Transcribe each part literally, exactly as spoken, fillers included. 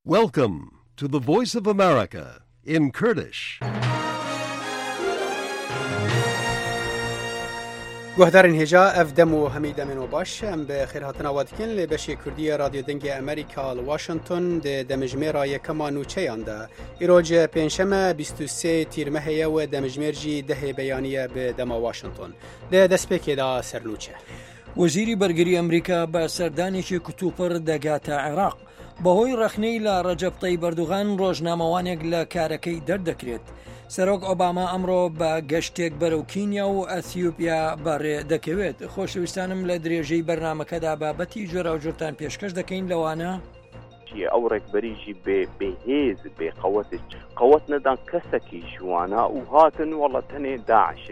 Welcome to the Voice of America in Kurdish. Guhdarên hêja, ev dem û hemî demên we baş. Em bi xêrhatina we dikin li beşê Kurdî ya Radyo Dengê Amerîka li Washington di demjimêra yekema nûçeyan de. Îroj pêncşeme bîst û sê Tîrmehê ye û demjimêr jî dehê beyanî ye bi dema Washington. Di destpêkê de sernûçe. وەزیری بەرگری ئەمریکا بە سەردانێکی کوتوپڕ دەگاتە عێراق. بەهۆی ڕەخنەی لە ڕەجەب تەیب ئەردوغان، ڕۆژنامەوانێک لە کارەکەی دەردەکرێت. سەرۆک ئۆباما ئەمڕۆ بە گەشتێک بەرەو کینیا و ئەثیوپیا بەڕێ دەکەوێت. خۆشەویستانم، لە درێژەی بەرنامەکەدا بابەتی جۆراوجۆرتان پێشکەش دەکەین، لەوانە: ئەو ڕێکبەری ژی بێ، بێ هێز، بێ قەوەتێ، قەوەت نەدان کەسەکی ژوانە و هاتن وەڵە تەنێ داعش.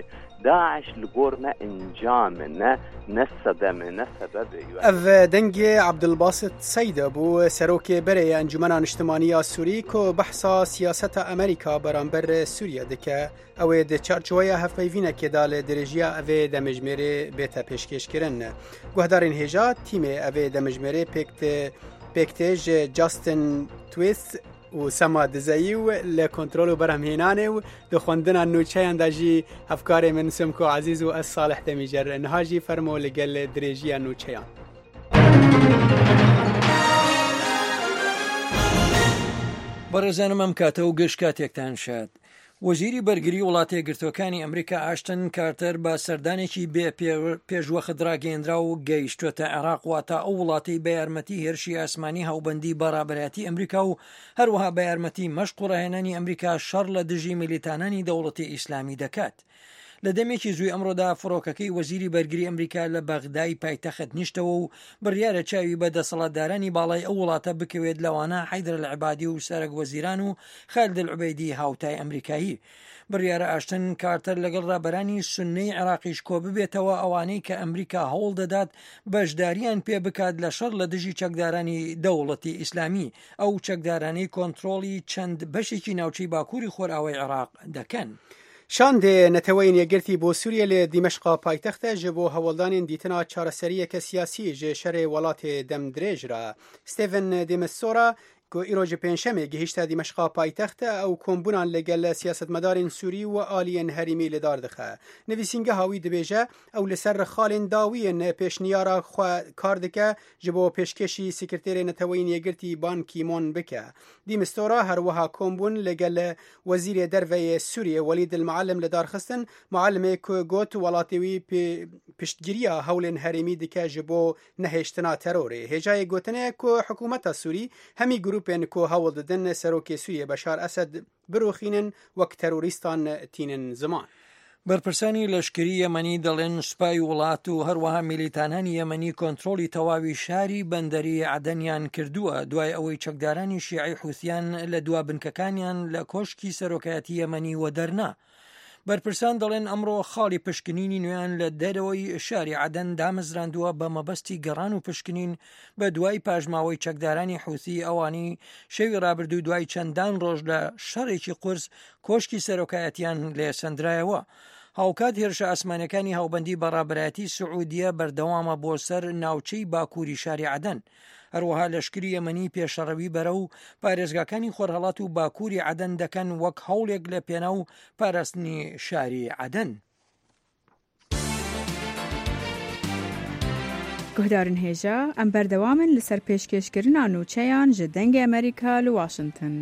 داعش li gor me encam e, ne, ne sedem e, ne sebeb e. Ev dengê Abdulbasit Seyda bû, serokê berê ya Encûmena Niştimanî ya Sûrî, ku behsa siyaseta Amerîka beramber Sûriye dike. Ew ê di çarçoweya hevpeyvînekê de li dirêjiya evê demjimêrê bête pêşkêşkirin. Guhdarên hêja, tîmê evê demjimêrê pêk tê, pêk tê ji Justin Twist û Sema Dizeyî û li kontrol û berhemhênanê û di xwendina nûçeyan de jî hevkarê min Simko Ezîz û ez Salih Demîcer. Niha jî fermo li gel dirêjiya nûçeyan. بەڕێزانم، ئەم کاتە و گەشت کاتێکتان شاد. وەزیری بەرگری وڵاتە یەکگرتووەکانی ئەمریکا ئاشتن کارتەر بە سەردانێکی بێ پێ-، پێشوەخت ڕاگەیەندرا و گەیشتووەتە عێراق، واتە ئەو وڵاتەی بە یارمەتی هێرشی ئاسمانی هاوبەندی بەڕابەرایەتی ئەمریکا و هەروەها بە یارمەتی مەشق و ڕاهێنانی ئەمریکا شەڕ لە دژی میلیتانانی دەوڵەتی ئیسلامی دەکات. لە دەمێکی زووی ئەمڕۆدا فڕۆکەکەی وەزیری بەرگری ئەمریکا لە بەغدای پایتەخت نیشتەوە و بڕیارە چاوی بە دەسەڵاتدارانی باڵای ئەو وڵاتە بکەوێت، لەوانە حەیدر العبادی و سەرەک وەزیران و خالد العبیدی هاوتای ئەمریکایی. بڕیارە ئاشتن کارتەر لەگەڵ ڕابەرانی سنەی عێراقیش کۆ ببێتەوە، ئەوانەی کە ئەمریکا هەوڵ دەدات بەشداریان پێ بکات لە شەڕ لە دژی چەکدارانی دەوڵەتی ئیسلامی، ئەو چەکدارانەی کۆنترۆڵی چەند بەشێکی ناوچەی باکووری خۆرئاوای عێراق دەکەن. Şandê Neteweyên Yekgirtî bo Sûriyê li Dîmeşqa paytext e ji bo hewldanên dîtina çareseriyeke siyasî ji şerê welatê demdirêj re. Stephen de Mistura, ku îro ji Pêncşemê gihîşte Dîmeşqa paytext, ew kombûnan li gel siyasetmedarên Sûrî û aliyên herêmî li dar dixe. Nivîsîngeha wî dibêje, ew li ser xalên dawiyên pêşniyara xwe kar dike, ji bo pêşkêşî Sekreterê Neteweyên Yekgirtî Ban Ki-moon bike. De Mistura her wiha kombûn li gel Wezîrê Derve yê Sûriyê Welîd el-Muallim li dar xistin, Muallimê ku got welatê wî pê-, piştgiriya hewlên herêmî dike ji bo nehêştina terorê. Hêjayê gotinê ye ku hikûmeta Sûrî hemî grûpên ku hewl didin serokê Sûriyê Beşar Esed birûxînin, wek terorîstan tînin ziman. بەرپرسانی لەشکری یەمەنی دەڵێن سوپای وڵات و هەروەها میلیتانانی یەمەنی کۆنترۆڵی تەواوی شاری بەندەری عەدەنیان کردووە، دوای ئەوەی چەکدارانی شیعی حوسیان لە دوا بنکەکانیان لە کۆشکی سەرۆکایەتی یەمەنی وەدەرنا. بەرپرسان دەڵێن ئەمڕۆ خاڵی پشکنینی نوێیان لە دەرەوەی شاری عەدەن دامەزراندووە بە مەبەستی گەڕان و پشکنین بە دوای پاشماوەی چەکدارانی حوسی، ئەوانەی شەوی ڕابردوو دوای چەندان ڕۆژ لە شەڕێکی قورس کۆشکی سەرۆکایەتیان لێ سەندرایەوە. هاوکات هێرشە ئاسمانەکانی هاوبەندی بەڕابەرایەتی سعودیە بەردەوامە بۆ سەر ناوچەی باکووری شاری عەدەن. هەروەها لەشکری یەمەنی پێشەڕەوی بەرە و پارێزگاکانی خۆرهەڵات و باکووری عەدەن دەکەن وەک هەوڵێک لە پێناو پاراستنی شاری عەدەن. Guhdarên hêja, em berdewam in li ser pêşkêşkirina nûçeyan ji Dengê Amerîka li Washington.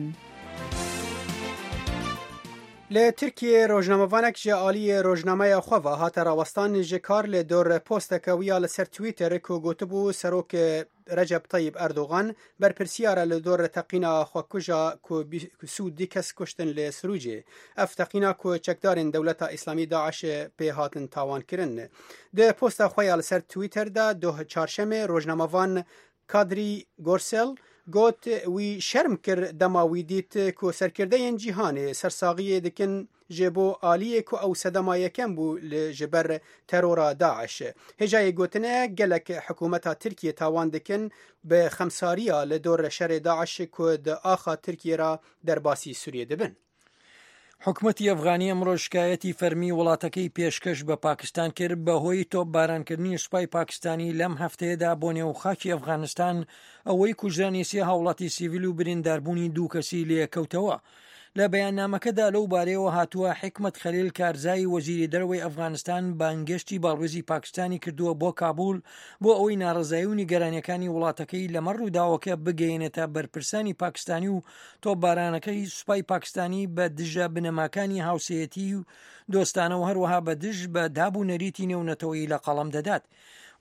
Li Tirkiyê rojnamevanek ji aliyê rojnameya xwe ve hate rawestan ji kar li dor posteke wî ya li ser Twitter ku gotibû serok Recep Tayyip Erdogan berpirsiyar e li dor teqîna xwekuja ku bî-, ku sî û du kes kuştin li Sirûcê. Ev teqîna ku çekdarên Dewleta Îslamî DAIŞ pê hatin tawankirin. Di posta xwe ya li ser Twitter de doh çarşemê rojnamevan Kadrî Gorsel got, wî şerm kir dema wî dît ku serkirdeyên cîhanê sersaxiyê dikin ji bo aliyê ku ew sedema yekem bû li, ji ber terora DAIŞ. Hêjayê gotine, gelek hikûmeta Tirkiyê tawan dikin bi xemsariya li dor şerê DAIŞ ku di axa Tirkiyê re derbasî Sûriyê dibin. حکومەتی ئەفغانی ئەمڕۆ شکایەتی فەرمی وڵاتەکەی پێشکەش بە پاکستان کرد بەهۆی تۆپبارانکردنی سوپای پاکستانی لەم هەفتەیەدا بۆ نێو خاکی ئەفغانستان، ئەوەی کوژرانی سێ هاوڵاتی سیڤیل و برینداربوونی دوو کەسی لێکەوتەوە. لە بەیاننامەکەدا لەو بارەیەوە هاتووە، حکمەت خەلیل کارزای وەزیری دەرەوەی ئەفغانستان بانگێشتی باڵوێزی پاکستانی کردووە بۆ کابول بۆ ئەوەی ناڕەزایی و نیگەرانیەکانی وڵاتەکەی لەمەڕ ڕووداوەکە بگەیەنێتە بەرپرسانی پاکستانی و تۆپبارانەکەی سوپای پاکستانی بە دژە بنەماکانی هاوسەیەتی و دۆستانە و هەروەها بە دژ بە داب و نەریتی نێونەتەوەی لە قەڵەم دەدات.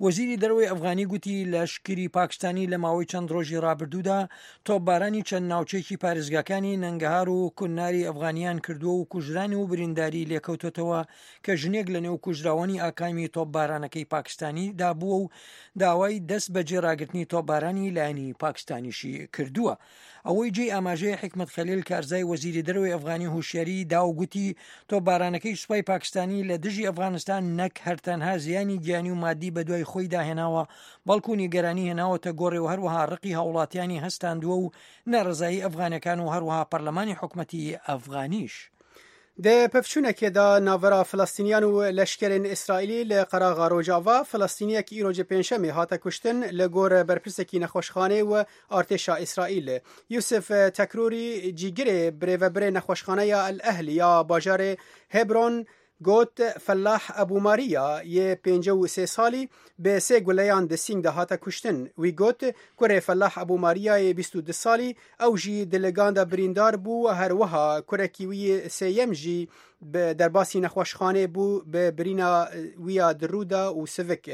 وەزیری دەرەوەی ئەفغانی گوتی، لەشکری پاکستانی لە ماوەی چەند ڕۆژی ڕابردوودا تۆپبارانی چەند ناوچەیەکی پارێزگاکانی نەنگەهار و کوناری ئەفغانیان کردووە و کوژرانی و برینداری لێکەوتۆتەوە کە ژنێک لە نێو کوژراوانی ئاکامی تۆپبارانەکەی پاکستانی دابووە و داوای دەست بە جێ ڕاگرتنی تۆپبارانی لایەنی پاکستانیشی کردووە. ئەوەی جێی ئاماژەیە، حکمەت خەلیل کارزای وەزیری دەرەوەی ئەفغانی هوشیاری دا و گوتی، تۆپبارانەکەی سوپای پاکستانی لە دژی ئەفغانستان نەک هەر تەنها زیانی گیانی و مادی بە دوای خۆی داهێناوە، بەڵکو نیگەرانی هێناوەتە گۆڕێ و هەروەها ڕقی هاوڵاتیانی هەستاندووە و ناڕەزایی ئەفغانەکان و هەروەها پەرلەمانی حکومەتی ئەفغانیش. Di pevçûnekê de navbera Filistîniyan û leşkerên Îsraîlî li qeraxa Rojava, Filistîniyek îro ji pêncşemê hate kuştin, li gor berpirsekî nexweşxanê û artêşa Îsraîl. Yusuf Tekrûrî, cîgirê birêvebirê nexweşxaneya El Ehlî ya bajarê Hebron, got, Fellah Ebû Mariya yê pêncî û sê salî bi sê guleyan di sîng de hate kuştin. Wî got, kurê Fellah Ebû Mariyayê bîst û du salî, ew jî di ligan de birîndar bû, her wiha kurekî wî yê sêyem jî bi derbasî nexweşxanê bû, bi birîna wî ya di rû de û sivik.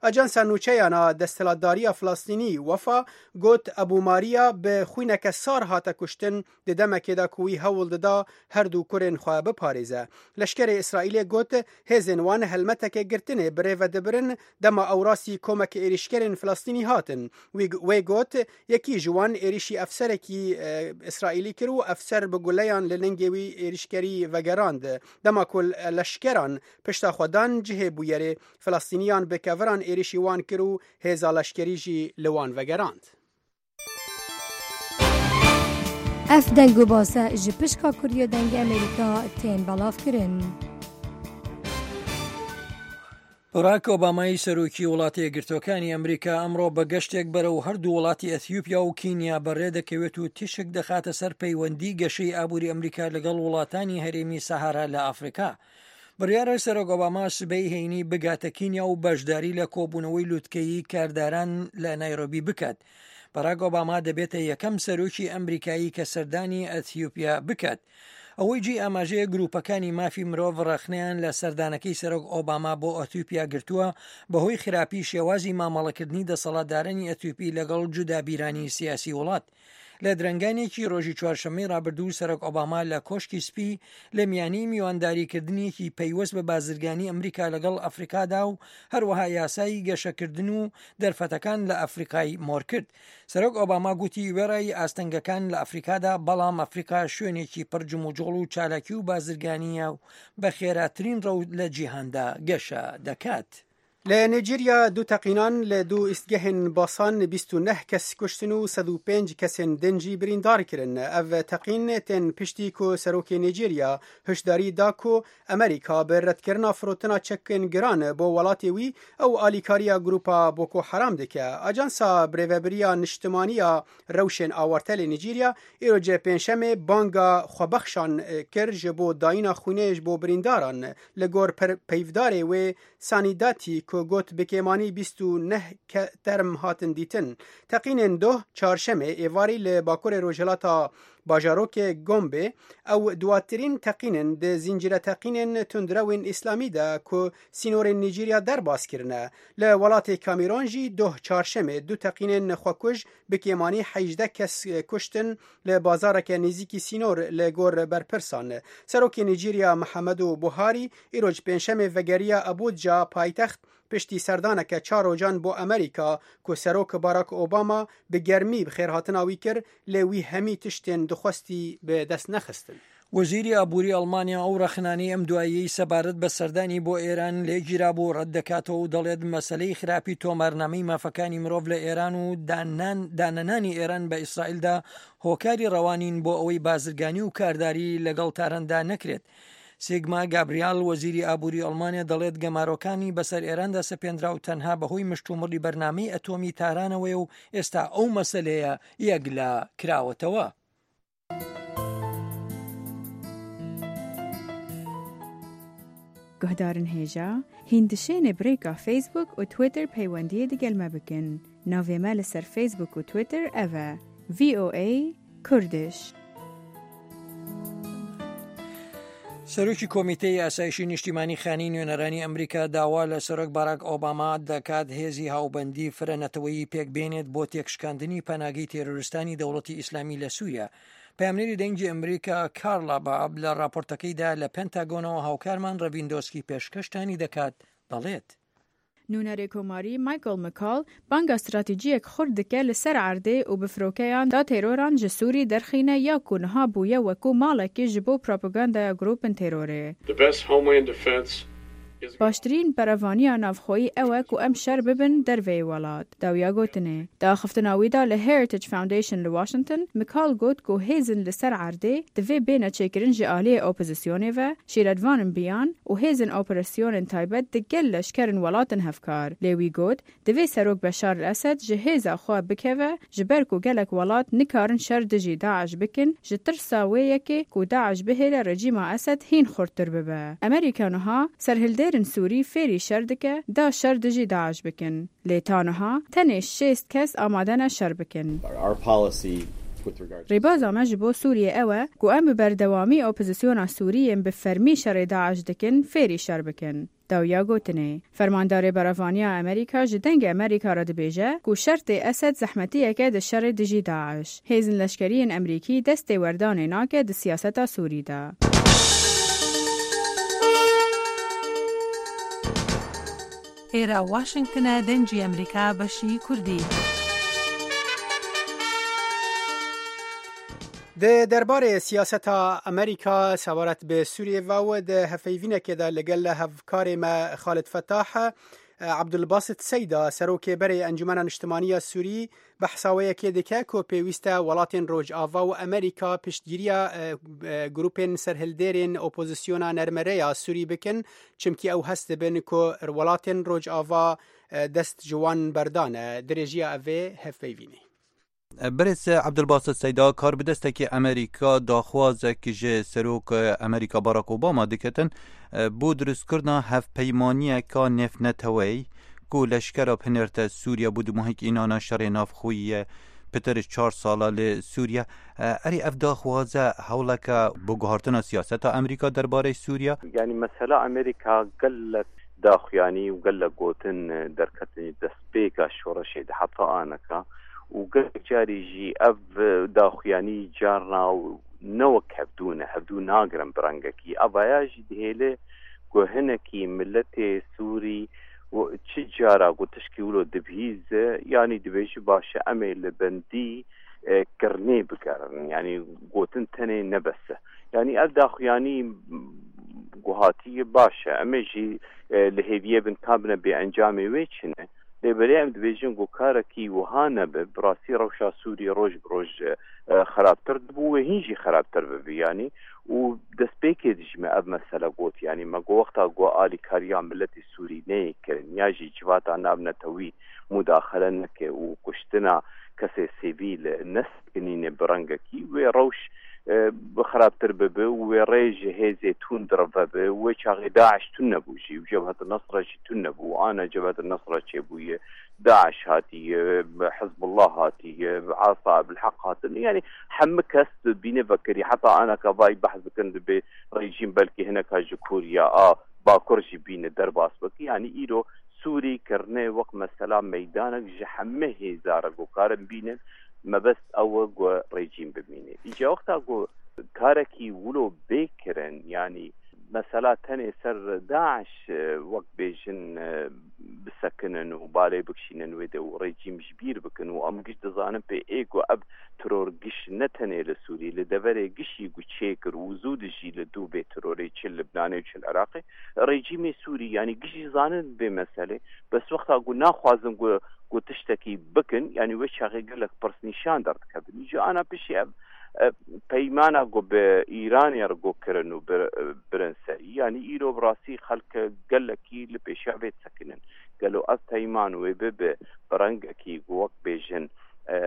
Ajansa nûçeyan a desthilatdariya Filistînî, Wefa, got, Ebû Mariya bi xwîneke sar hate kuştin, di demekê de ku wî hewl dida her du kurên xwe biparêze. Leşkerê Îsraîlê got, hêzên wan helmeteke girtinê bi rê ve dibirin, dema ew rastî komeke êrîşkerên Filistînî hatin. Wî, wê got, yekî ji wan êrîşî efserekî, e, Îsraîlî kir û efser bi guleyan li lingê wî êrîşkerî vegerand. Dema ku leşkeran pişta xwe dan cihê bûyerê, Filistîniyan bi keviran êrîşî wan kir û hêza leşkerî jî li wan vegerand. Ev deng û base ji pişka Kurdiya Dengê Amerîka tên belavkirin. Barack Obama'yî serokî Welatê Yekgirtûkaniya Amerîka emro bi geştek berew her du welatî Etiyopya û Kenya bi rê dikewêt û tişik dixate ser peywendî geşeyî aborî Amerîka li gel welatani herêmî Sahara li Afrika. Biryar e Serok Obama sibeyê heyînî bigate Kenya û beşdarî li kobûnewey lûtkeyî kardaran li Nairobi biket. Barack Obama dibête yekem serokî Amerîkayî ke serdanî Etiyopya biket. Ewey cî amajeyê grûpekani mafî mirov rexneyan li serdanekey Serok Obama bo Etiyopya girtûe, bi hoy xirapî şêwazî mamelekirdinî deselatdarani Etiyopî li gel cudabîranî siyasî welat. Li direnganekî rojî çarşemeyê rabirdû Serok Obama li Koşkî Spî li miyanî mîwandarîkirdinekî peywest bi bazirganî Amerîka li gel Afrika da û her wiha yasayî geşekirdin û derfetekan li Afrikayî mor kir. Serok Obama gotî, wêrayî astengekane li Afrika da, belam Afrika şuenekî pir cimûcol û çalakî û bazirganî ye û bi xêratirîn rew li cîhan da geşe dekat. Li Nîjerya du teqînan li du îstgehên basan bîst û neh kes kuştin û sed û pênc kesên din jî birîndar kirin. Ev teqîn tên piştî ku serokê Nîjerya hişdarî da ku Amerîka bi redkirina firotina çekên giran bo welatê wî ew alîkariya grûpa Boko Haram dike. Ajansa Birêvebiriya Niştimanî ya Rewşên Awarte li Nîjerya îro cê pêncşemê banga xwebexşan kir ji bo dayîna xwînê ji bo birîndaran. Li gor per-, peyvdarê wê Sanîdatî ku got bi kêmanî bîst û neh ke-, term hatin dîtin. Teqînên doh çarşemê êvarî li bakurê rojhilata bajarokê Gombe, ew duwatirîn teqîn in di zîncîre teqînên tundrewên îslamî de ku sînorên Nîjerya derbas kirine. Li welatê Kamîron jî doh çarşemê du teqînên xwekuj bi kêmanî hejdeh kes kuştin li bazareke nêzîkî sînor li gor berpirsan. Serokê Nîjerya Mihemedu Buharî îroj pêncşemê vegeriya Abuja paytext piştî serdaneke çar rojan bo Amerîka ku Serok Barack Obama bi germî bi xêrhatina wî kir, lê wî hemî tiştên dixwestî bi dest nexistin. وەزیری ئابووری ئەڵمانیا ئەو ڕەخنانەی ئەم دواییەی سەبارەت بە سەردانی بۆ ئێران لێگیرابوو ڕەت دەکاتەوە و دەڵێت مەسەلەی خراپی تۆمارنامەی مافەکانی مرۆڤ لە ئێران و دانان-، دانەنانی ئێران بە ئیسرائیلدا هۆکاری ڕەوانین بۆ ئەوەی بازرگانی و کارداری لەگەڵ تاراندا نەکرێت. سیگما گابریال، وەزیری ئابووری ئەڵمانیا، دەڵێت گەمارۆکانی بەسەر ئێراندا سەپێندرا و تەنها بەهۆی مشتومڕی بەرنامەی ئەتۆمی تارانەوەیە و ئێستا ئەو مەسەلەیە یەکلا کراوەتەوە. Guhdarên hêja, hîn dişêne bi rêka Facebook û Twitter peywendiyê digel me bikin. Navê me li ser Facebook û Twitter ev e: V O A Kurdish. سەرۆکی کۆمیتەی ئاسایشی نیشتیمانی خانی نوێنەرانی ئەمریکا داوا لە سەرۆک باراک ئۆباما دەکات هێزی هاوبەندی فرەنەتەوەیی پێک بێنێت بۆ تێکشکاندنی پەناگەی تێرۆریستانی دەوڵەتی ئیسلامی لە سووریا. پەیامنێری دەنگی ئەمریکا کارلا باب لە راپۆرتەکەیدا لە پێنتاگۆنەوە هاوکارمان ڕەڤیندۆسکی پێشکەشتانی دەکات، دەڵێت. نوونەرێ کۆماری Michael McCaul بانگا استراتیجیەک خورد دکە لە سەر عەردێ و بفرۆکەیان دا تێرۆران ji Sûrî derxîne ya ku niha bûye wekû malekî ji bo propagandaya grûpên têrorê. The best homeland defense is Baştirîn berevaniya navxweyî ew e ku em şer bibin derveyê welat. Dawiya gotinê. Di axiftina wî de li Heritage Foundation li Washington, McCaul got ku hêzin li ser erdê divê bêne çêkirin ji aliyê opozisyonê ve, şîretvanên biyan û hêzên operasyonên taybet di gel leşkerên welatin hevkar. Lê wî got, divê Serok Beşar el-Esed ji hêza xwe bikeve, ji ber ku gelek welat nikarin şer dijî DAIŞ bikin, ji tirsa wê yekê ku DAIŞ bihêle rejîma Esed hîn xurttir bibe. Amerîka niha serhildêrên Sûrî fêrî şer dike, da şer dijî DAIŞ bikin. Lê ta niha tenê şêst kes amade ne şer bikin. Our policy with regard to Rêbaza me ji bo Sûriyê ew e ku em bi berdewamî opozisyona Sûrî yên bi fermî şerê DAIŞ dikin, fêrî şer bikin. Dawiya gotinê. Fermandarê Berevaniya Amerîka ji Dengê Amerîka re dibêje ku şertê Esed zehmetiyek e di şerê dijî DAIŞ. Hêzên leşkerî yên Amerîkî destê werdanê nake di siyaseta Sûrî de. Êra Washington e, Dengê Amerîka, beşî Kurdî. Di derbarê siyaseta Amerîka sebaret bi Sûriyê ve û di hevpeyvînekê de li gel hevkarê me Xalid Fetah, Abdulbasit Seyda, serokê berê Encûmena Niştimanî ya Sûrî, behsa wê yekê dike ku pêwîst e welatên Rojava û Amerîka piştgiriya, e, e, grûpên serhildêrên opozisyona nermere ya Sûrî bikin, çimkî ew hest dibin ku welatên Rojava, e, dest ji wan berdane. Dirêjiya evê hevpeyvînê. Birêz Ebdulbasit Seyda, karbidestekî Amerîka daxwazek ji Serok Amerîka Barack Obama diketin, bo dirustkirina hevpeymaniyeka nêvneteweyî ku leşkera binêrte Sûriye bo dumahîk înana şerê navxweyî ye pitir çar sala li Sûriye. Erê ev daxwaze hewleke bo guhartina siyaseta Amerîka derbarê Sûriye? Yanî mesela Amerîka gelek daxuyanî û gelek gotin derketin destpêka şoreşê de heta aneka û gelek carî jî ev daxuyanî carna û ne wek hevdû ne, hevdû nagirin bi rengekî. Evaya jî dihêle ku hinekî miletê Sûrî û çi cara ku tişkî wilo dibihîze, yanî dibêje baş e, em ê li bendî, e, kirinê bigerin. Yanî gotin tenê ne bes e. Yanî ev daxuyanî ku hatiye baş e. Em ê jî, e, li hêviyê bin ka bine bê encamê wê çi ne. Lê belê em dibêjin ku karekî wiha nebe, bi rastî rewşa Sûriyê roj bi roj, e, xerabtir dibû, wê hîn jî xerabtir bibe yanî. Û destpêkê dijî me ev mesele got, yanî me got wexta ku alîkariya miletê Sûrî neyê kirin ya jî civata navnetewî mudaxele neke û kuştina kesê sivîl nesekinîne bi rengekî, wê rewş, e, bi xerabtir bibe û wê rê ji hêzê tund re vebe û wê çaxê DAIŞ tune bû jî û Cebhet Nusra jî tune bû. Ana Cebhet Nusra çêbûye, DAIŞ hatiye, Hizbullah hatiye, Asa Ebil Heq hatin. Yanî hemû kes bîne vekirî. Heta anaka vay behs dikin dibê rejîm belkî hineka ji Koriya a Bakur jî bîne derbas bike. Yanî îro Sûrî kirine wek mesela meydanek ji hemû hêza re ku karin bînin. Mebest ew e ku rejîm bimîne. Îca wexta ku karekî wilo bê kirin, yanî mesela tenê ser DAIŞ, e, wek bêjin, e, bisekinin û balê bikişînin wê de û rejîm ji bîr bikin û em giş dizanin pê ê ku ev teror giş ne tenê li Sûrî, li deverê gişî ku çêkir û zû dijî li dû bê terorê çi li Libnanê û çi li Iraqê. Rejîmê Sûrî, yanî gişî zanin vê meselê, bes wexta ku naxwazin ku, ku tiştekî bikin, yanî wê çaxê gelek pirsnîşan derdikevin. Îca ana piştî ev, ev peymana ku bi Îranê re ku kirin û bir-, birin serî, yanî îro bi rastî xelk gelekî li pêşiya vê disekinin. Gelo ev peyman wê bibe bi rengekî ku wek bêjin, e,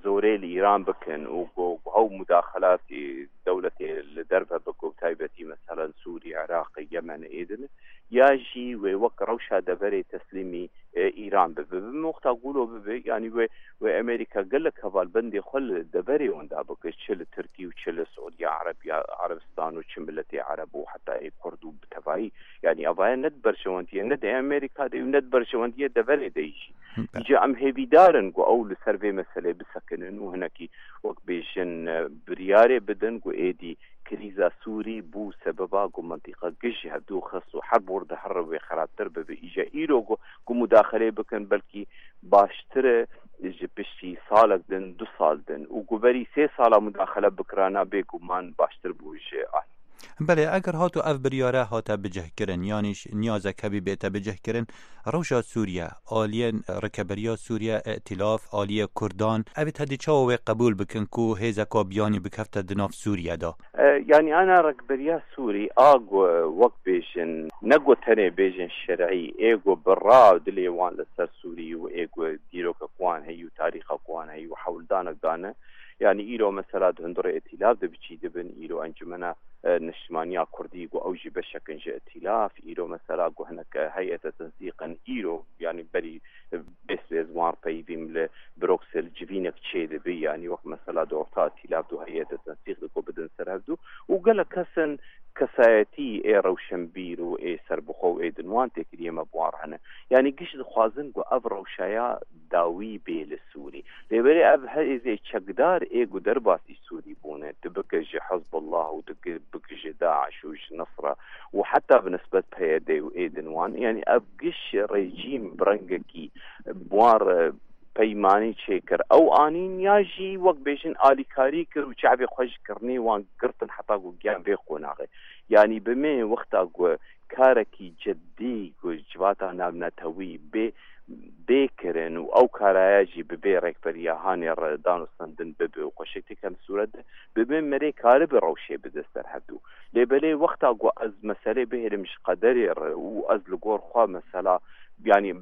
zorê li Îran bikin û ku, ku hew mudaxelatî dewletê li derve bike û taybetî meselen Sûrî, Iraq, Yemen ê din, ya jî wê wek rewşa deverê teslîmî, e, Îran bibe. Bi wexta ku wilo bibe, yanî wê, wê Amerîka gelek hevalbendê xwe li deverê wenda bike, çi li Tirkî û çi li Siûdiya Erebiya, Erebistan û çi miletê Ereb û heta ê Kurd û bi tevayî. Yanî evaya ne di berjewendiye, ne di Amerîka de û ne di berjewendiye deverê de jî. Be- Îca em hêvîdar in ku ew li ser vê meselê bisekinin û hinekî wek bêjin, e, biryarê bidin ku êdî krîza Sûrî bû sebeba ku mintîqa giş ji hevdû xist û herb wir dihere wê xerabtir bibe. Îca îro ku, ku mudaxeleyê bikin belkî baştir e ji piştî salek din, du sal din û ku berî sê sala mudaxele bikirana bêguman baştir bû ji alî. Belê, eger hato ev biryare hate bicihkirin, yanî ş-, niyazek hebî bête bicihkirin, rewşa Sûriye, aliyên rikeberiya Sûriye, îtilaf, aliyê Kurdan, ev ê tedî çawa wê qebûl bikin ku hêzeka biyanî bikefte di nav Sûriye de? E, yanî ana rikberiya Sûrî a ku wek bêjin, ne ku tenê bêjin şerî, ê ku bi ra dilê wan li ser Sûrî û ê ku dîrokek wan heyî û tarîxek wan heyî û hewldanek dane. Yanî îro mesela di hundirê îtilaf de bi çî dibin, îro encumena, e, niştimaniya Kurdî ku ew jî beşek in ji îtilaf, îro mesela ku hinek, e, heyete tensîq in, îro yanî berî, e, bêswêz wan peyvîm li Bruksel civînek çêdibe, yanî wek mesela di orta îtilaf de heyete tensîq de ku bidin ser hevdû û gelek kes in kesayetî ê rewşenbîr û ê serbixwe û ê din wan têkiliyê me bi wan re hene. Yanî giş dixwazin ku ev rewşaya dawî bê li Sûrî. Lê belê ev hêzê çekdar ê ku derbasî Sûrî bûne, tu bike ji Hizbullah û tu bike ji DAIŞ û ji Nusra û heta bi nisbet P Y D û ê din wan, yanî ev giş rejîm bi rengekî bi wan re peymanî çêkir. Ew anîn ya jî wek bêjin alîkarî kir û çavê xwe ji kirinê wan girtin heta ku giyan vê qonaxê. Yanî bi me wexta ku karekî cidî ku civata navnetewî bê, bê kirin û ew karaya jî bi bê rêkberiya hanê re danûstendin bibe û xweşik têkem sûret de bibe, merê karibe rewşê bide ser hevdû. Lê belê wexta ku ez meselê bihêlim ji qederê re û ez li gor xwe mesela, yanî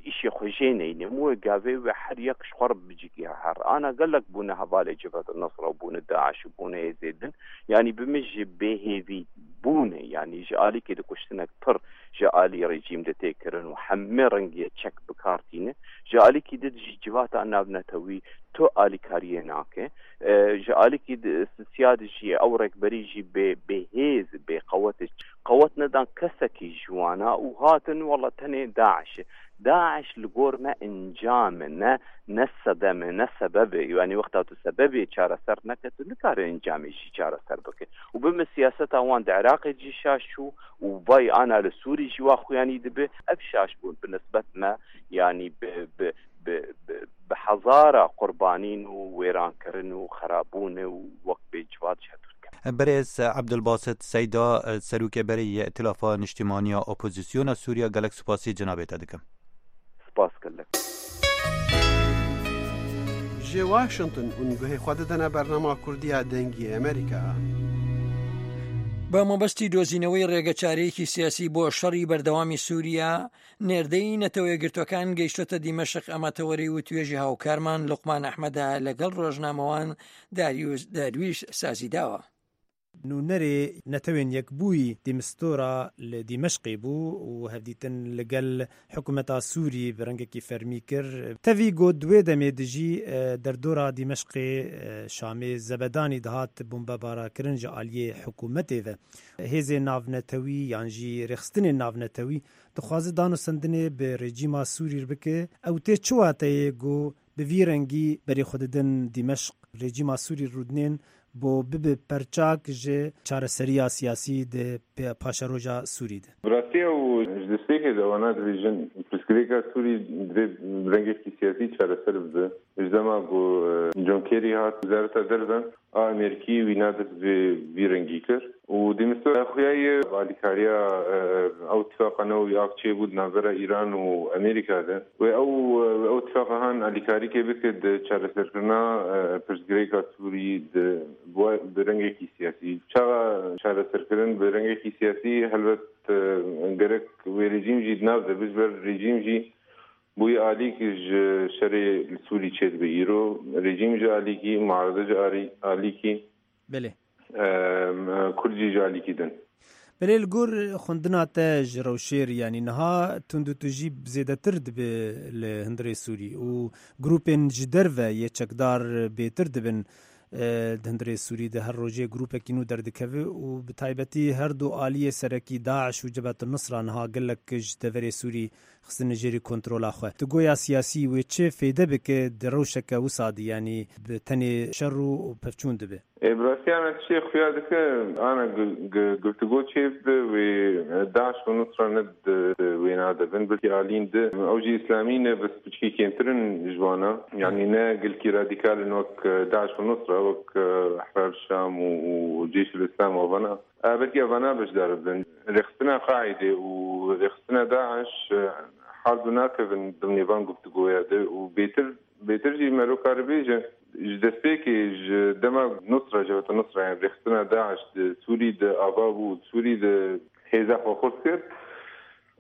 îşê xwe jê neynim, wê gavê wê her yek ji xwe re bicikî her. Ana gelek bûne hevalê Cebhet Nusra û bûne DAIŞ û bûne hêzê din. Yanî bi min jî bêhêvî bûne, yanî ji alîkî de kuştinek pir ji alî rejîm de tê kirin û hemê rengê çek bi kar tîne. Ji alîkî de jî civata navnetewî tu alîkariyê nake. E, ji alîkî de Sisya de jî ew rêkberî jî bê, bê hêz, bê qewet, qewet nedan kesekî ji wana û hatin wela tenê DAIŞ e. DAIŞ li gor me encam e, ne, ne sedem e, ne sebeb e. Yanî wexta tu sebebê çareser neke, tu nikare encamê jî çareser bike. Û bi min siyaseta wan di Iraqê jî şaş çû û vay ana li Sûrî jî wa xuyanî dibe. Ev şaş bûn bi nisbet me, yanî bi, bi, bi, bi, bi hezara qurbanîn û wêrankirin û xerabûne û wek bê civat ji hev dûr ket. Berêz Ebdulbasit Seyda, serokê berê yê Îtilafa Niştimaniya Opozisyona Sûriya, gelek spasî cenabê te dikim. Spas gelek. Ji Washington hûn guhê xwe didine bernama Kurdiya Dengê Amerîka. بە مەبەستی دۆزینەوەی ڕێگەچارەیەکی سیاسی بۆ شەڕی بەردەوامی سووریا، نێردەی نەتەوە یەکگرتووەکان گەیشتۆتە دیمەشق. ئەمە تەوەری وتوێژی هاوکارمان لوقمان ئەحمەدا لەگەڵ ڕۆژنامەوان داریوش دەرویش سازی داوە. نوونەرێ نەتەوێن یەکبووی دیمستۆرا لە دیمەشقی بوو و هەڤدیتن لەگەڵ حکوومەتا سووری بە ڕەنگێکی فەرمی کرد. تەڤی گۆ دوێ دەمێ دژی، ئە، دەردۆرا دیمەشقێ، ئە، شامێ زەبەدانی دەهات بۆمبەبارا کردن ji aliyê hikûmetê ve. Hêzên navnetewî yan jî rêxistinên navnetewî dixwaze danûstendinê bi rejîma Sûrî bike. Ew tê çi wateyê ku bi vî rengî berê xwe didin Dîmeşq, rejîma Sûrî rûdinên bo bibe perçak ji çareseriya siyasî di pê-, paşeroja Sûrî de. Bi rastî ew ji destpêkê de wana dibêjin, pirsgirêka Sûrî divê bi rengekî siyasî çareser bibe. Ji dema ku, e, John Kerry hat Wezareta Derve a Amerîkî wî nadist vê, vî rengî kir. Û Dîmistor xuya ye alîkariya, e, ew tifaqa newewî a çêbû di navbera Îran û Amerîka de. Wê ew, e, ew tifaqa han alîkarîkê bike di çareserkirina, e, pirsgirêka Sûrî di, bi, bi rengekî siyasî. Çaxa çareserkirin bi rengekî siyasî, helbet, e, gerek wê rejîm jî di nav de be, ji ber rejîm jî bûye alîk ji şerê li Sûrî çêdibe îro. Rejîm ji alîkî, muarede ji arî-, alîkî. Belê. Em, Kurd jî ji alîkî din. Belê, li gor xwendina te ji rewşê re, yanî niha tundûtûjî zêdetir dibe li hundirê Sûrî û grûpên ji derve yê çekdar bêtir dibin, e, di hundirê Sûrî de her rojê grûpekî nû derdikeve û bi taybetî her du aliyê serekî DAIŞ û Cebhet Nusra niha gelek ji deverê Sûrî xistine jêrî kontrola xwe. Di goya siyasî wê çi fêde bike di rewşeke wisa de, yanî bi tenê şer û pevçûn dibe? Ê, bi rastî ana tiştê xuya dike, ana gu-, gu-, guftûgo çêbibe wê DAIŞ û Nusra ne di, di wêna de bin, belkî alîn di. Ew jî îslamî ne, bes piçkî kêmtir in ji wana. Yanî ne gelkî radîkal in wek, e, DAIŞ û Nusra, wek, e, Ehrar Şam û, û Ceyşul Îslam û vana. E, belkî evana beşdar bin. Rêxistina Qaîdê û rêxistina DAIŞ, e, her du nakevin dimnê van guftûgoya de û bêtir, bêtir jî mero karibêje, ji destpêkê ji dema Nusra, Cebheta Nusra, yani rêxistina DAIŞ di Sûrî de ava bû, Sûrî de hêza xwe xurt kir.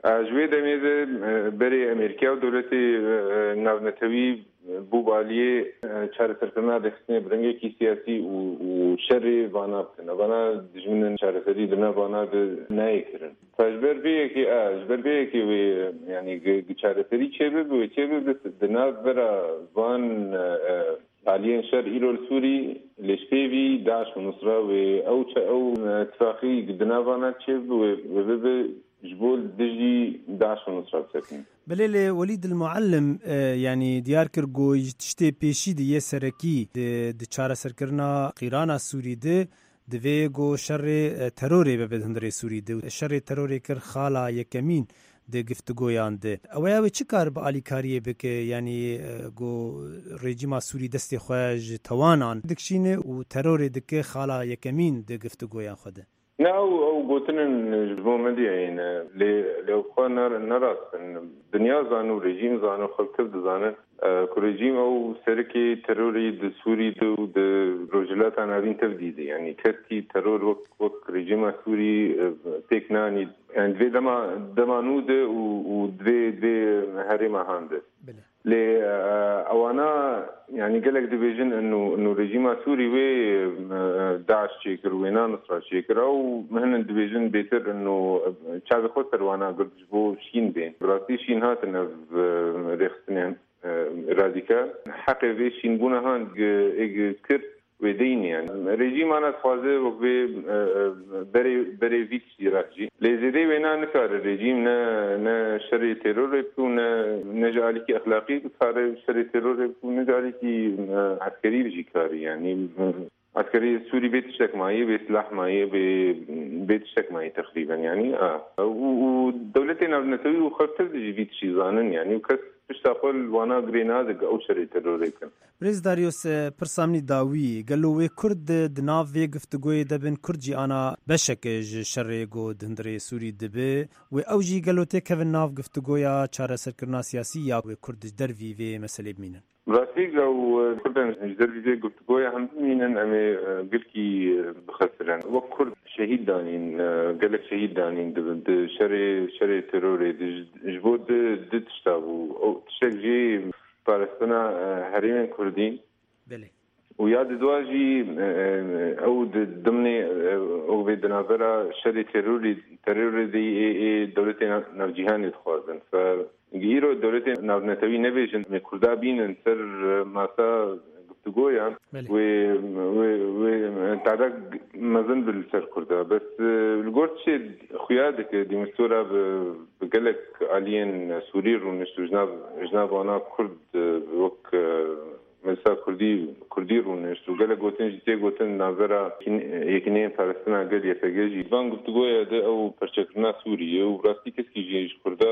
E, ji wê demê de, e, berê Amerîka û dewletê, e, navnetewî bû baliyê, e, çareserkirina rêxistinê bi rengekî siyasî û, û şerê vana bikin. Vana dijminin çareserî di nav vana de nayê kirin. Ji ber vê yekê, e, ji ber vê yekê wê, e, yanî gi-, gi çareserî çêbibe, wê çêbibe di navbera van, e, e, aliyên şer îro li Sûrî, lê ji pêvî DAIŞ û Nusra wê ew çe-, ew, e, tifaqî di nav vana çêbibe, wê, wê bibe ji bo dijî DAIŞ û Nusra bisekinî. Belê, lê Welîd el Muallim, e, yanî diyar kir ku ji tiştê pêşî di yê serekî di, di çareserkirina qîrana Sûrî de divê ku şerê, e, terorê bibe di hundirê Sûrî de. Şerê terorê kir xala yekemîn di giftigoyan de. Ew ê, ew ê çi kar bi alîkariyê bike? Yanî, e, ku rejîma Sûrî destê xwe ji tewanan dikişîne û terorê dike xala yekemîn di giftigoyan xwe de. Ne, ew, ew gotin in ji bo medyayê ne. Lê, lê ew xwe ne, ne rast in. Dinya zane û rejîm zane û xelk tev dizane, e, ku rejîm ew serokê terorê di Sûrî de û di Rojhilata Navîn tev dîde. Yanî keskî teror wek, wek rejîma Sûrî, e, pêk nanî. Yani divê dema, dema nû de û, û divê, divê herêma han de. Belê. Lê, e, ewana, yani gelek dibêjin inu, inu rejîma Sûrî wê, e, DAIŞ çêkir, wê na Nusra çêkir. Ew hinin dibêjin bêtir inu, e, çavê xwe ser wana girt ji bo şîn bên. Bi rastî şîn hatin ev, e, rêxistinên, e, radîkal. Heqê vê şînbûna han gi-, ê gi-, kir wê deyî ne yani. Rejîm ana dixwaze wek vê, e, e, berê, berê vî tiştî re jî. Lê zêdê wêna nikare rejîm ne, ne şerê terorê bike û ne, ne ji alîkî exlaqî bikare şerê terorê bike û ne ji alîkî, e, eskerî jî karî yani. Eskerê Sûrî bê tiştek mayî, bê silah mayî, bê, bê tiştek mayî teqrîben yani. A. Û, û dewletê navnetewî û xelk tev de jî vî tiştî zanin yani. Û kes pişta xwe li wana girê nade ku ew şerê terorê bikin. Birêz Darius, e, pirsa min î dawî, gelo wê Kurd di nav vê giftigoyê de bin, Kurd jî ana beşek ji şerê ku di hundirê Sûrî dibe, wê ew jî gelo têkevin nav giftigoya çareserkirina siyasî ya wê Kurd ji dervî vê meselê bimînin? Rastî, ew, e, Kurdan ji dervî vê giftigoya hem bimînin, em ê, e, gilkî, e, bixesirin. Wek Kurd şehîd danîn, e, gelek şehîd danîn di, di şerê, şerê terorê de ji, ji bo di, di tişta bû. Ew tiştek jî parastina, e, herêmên Kurdî. Belê. Û ya di dua jî, e, e, ew di dimnê, e, ew vê di navbera şerê terorî, terorê de ê, ê dewletê nav-, navcîhanê dixwazin. Fe, îro dewletê navnetewî nebêjin, em ê Kurda bînin ser, e, masa giftigoyan. Belê. Wê, wê, wê, e, tehdît mezin bi li ser Kurda. Bes, e, li gor tiştê xuya dike, Dîmistora bi, bi gelek aliyên Sûrî rûnişt û ji nav, ji nav wana Kurd, e, wek, e, Meclisa Kurdî, Kurdî rûnişt û gelek gotin jî tê gotin navbera yekîn-, yekîneyên parastina gel Y P G jî. Van guftûgoya de ew perçekirina Sûriyê û bi rastî keskî jî ji Kurda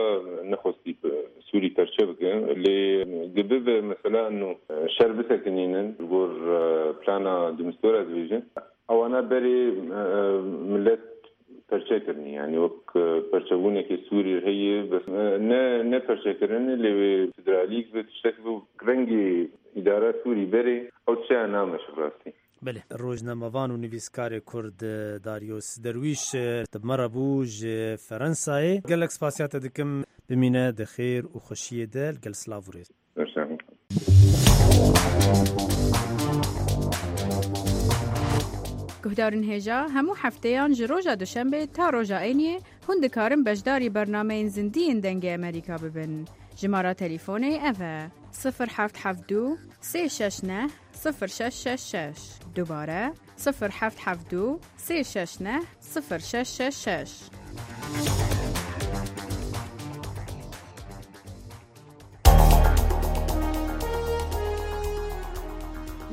nexwestî bi Sûrî perçe bikin. Lê dibe mesela eno şer bisekinînin ji gor, e, plana Dimistore dibêjin. Ewana berê, e, e, millet perçe kirinî, yanî wek, e, perçebûnekê Sûrî heye, bes, e, ne, ne perçekirinê, lê wê federalîk bi tiştek bi rengê îdara Sûrî berê, ew tişteya nameşe bi rastî. Belê, rojnamevan û nivîskarê Kurd, e, Darius Derwîş, e, bi me re bû ji Ferensayê. Gelek spasiya te dikim, bimîne di xêr û xweşiyê de, li gel silav û rêz. Guhdarên hêja, hemû hefteyan ji roja Duşembê ta roja Eyniyê hûn dikarin beşdarî bernameyên zindiyên Dengê Emerîka bibin. Jimara telîfonê ev e: sifir heft heft du sê şeş neh sifir şeş şeş şeş. Dubare, sifir heft heft du sê şeş neh sifir şeş şeş şeş.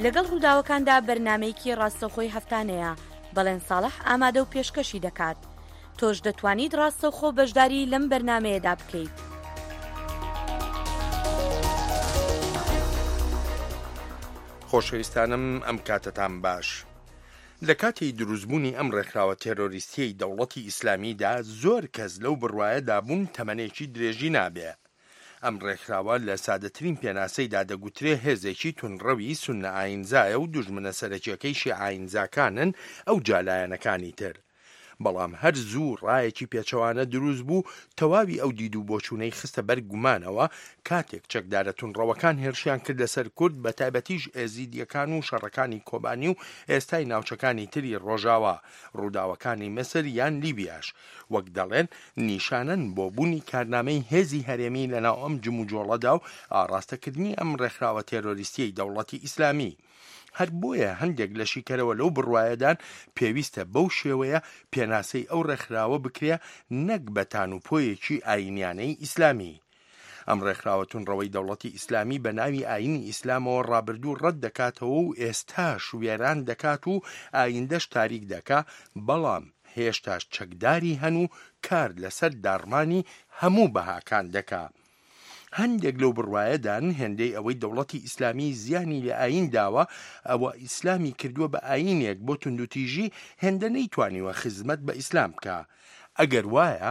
لەگەڵ ڕووداوەکاندا بەرنامەیەکی ڕاستەوخۆی هەفتانەیە. بەڵێن ساڵح ئامادە و پێشکەشی دەکات. تۆش دەتوانیت ڕاستەوخۆ بەشداری لەم بەرنامەیەدا بکەیت. خۆشەویستانم، ئەم کاتتان باش. لە کاتی دروستبوونی ئەم ڕێکخراوە تێرۆریستیەی دەوڵەتی ئیسلامیدا، زۆر کەس لەو بڕوایەدا بوون تەمەنێکی درێژی نابێ. ئەم ڕێکخراوە لە سادەترین پێناسەیدا دەگوترێ هێزێکی تونڕەوی سوننە ئاینزایە و دوژمنە سەرەکیەکەی شیعە ئاینزاکانن، ئەو جا لایەنەکانی تر. بەڵام هەر زوو ڕایەکی پێچەوانە دروست بوو، تەواوی ئەو دید و بۆچوونەی خستە بەر گومانەوە، کاتێک چەکدارە تونڕەوەکان هێرشیان کرد لەسەر کورد، بە تایبەتیش ئێزیدیەکان و شەڕەکانی کۆبانی و ئێستای ناوچەکانی تری ڕۆژاوا، ڕووداوەکانی مەسر یان لیبیاش، وەک دەڵێن، نیشانەن بۆ بوونی کارنامەی هێزی هەرێمی لەناو ئەم جموجۆڵەدا و ئاڕاستەکردنی ئەم ڕێکخراوە تێرۆریستیەی دەوڵەتی ئیسلامی. هەر بۆیە هەندێک لە شیکەرەوە لەو بڕوایەدان پێویستە بەو شێوەیە پێناسەی ئەو ڕێکخراوە بکرێ، نەک بە تانوپۆیەکی ئاینیانەی ئیسلامی. ئەم ڕێکخراوە تونڕەوەی دەوڵەتی ئیسلامی بە ناوی ئاینی ئیسلامەوە ڕابردوو ڕەت دەکاتەوە و ئێستاش وێران دەکات و ئایندەش تاریک دەکا، بەڵام هێشتاش چەکداری هەن و کار لەسەر داڕمانی هەموو بەهاکان دەکا. هەندێک لەو بڕوایەدان هێندەی ئەوەی دەوڵەتی ئیسلامی زیانی لە ئاین داوە، ئەوە ئیسلامی کردووە بە ئاینێک بۆ توندوتیژی، هێندە نەیتوانیوە خزمەت بە ئیسلام بکا. ئەگەر وایە،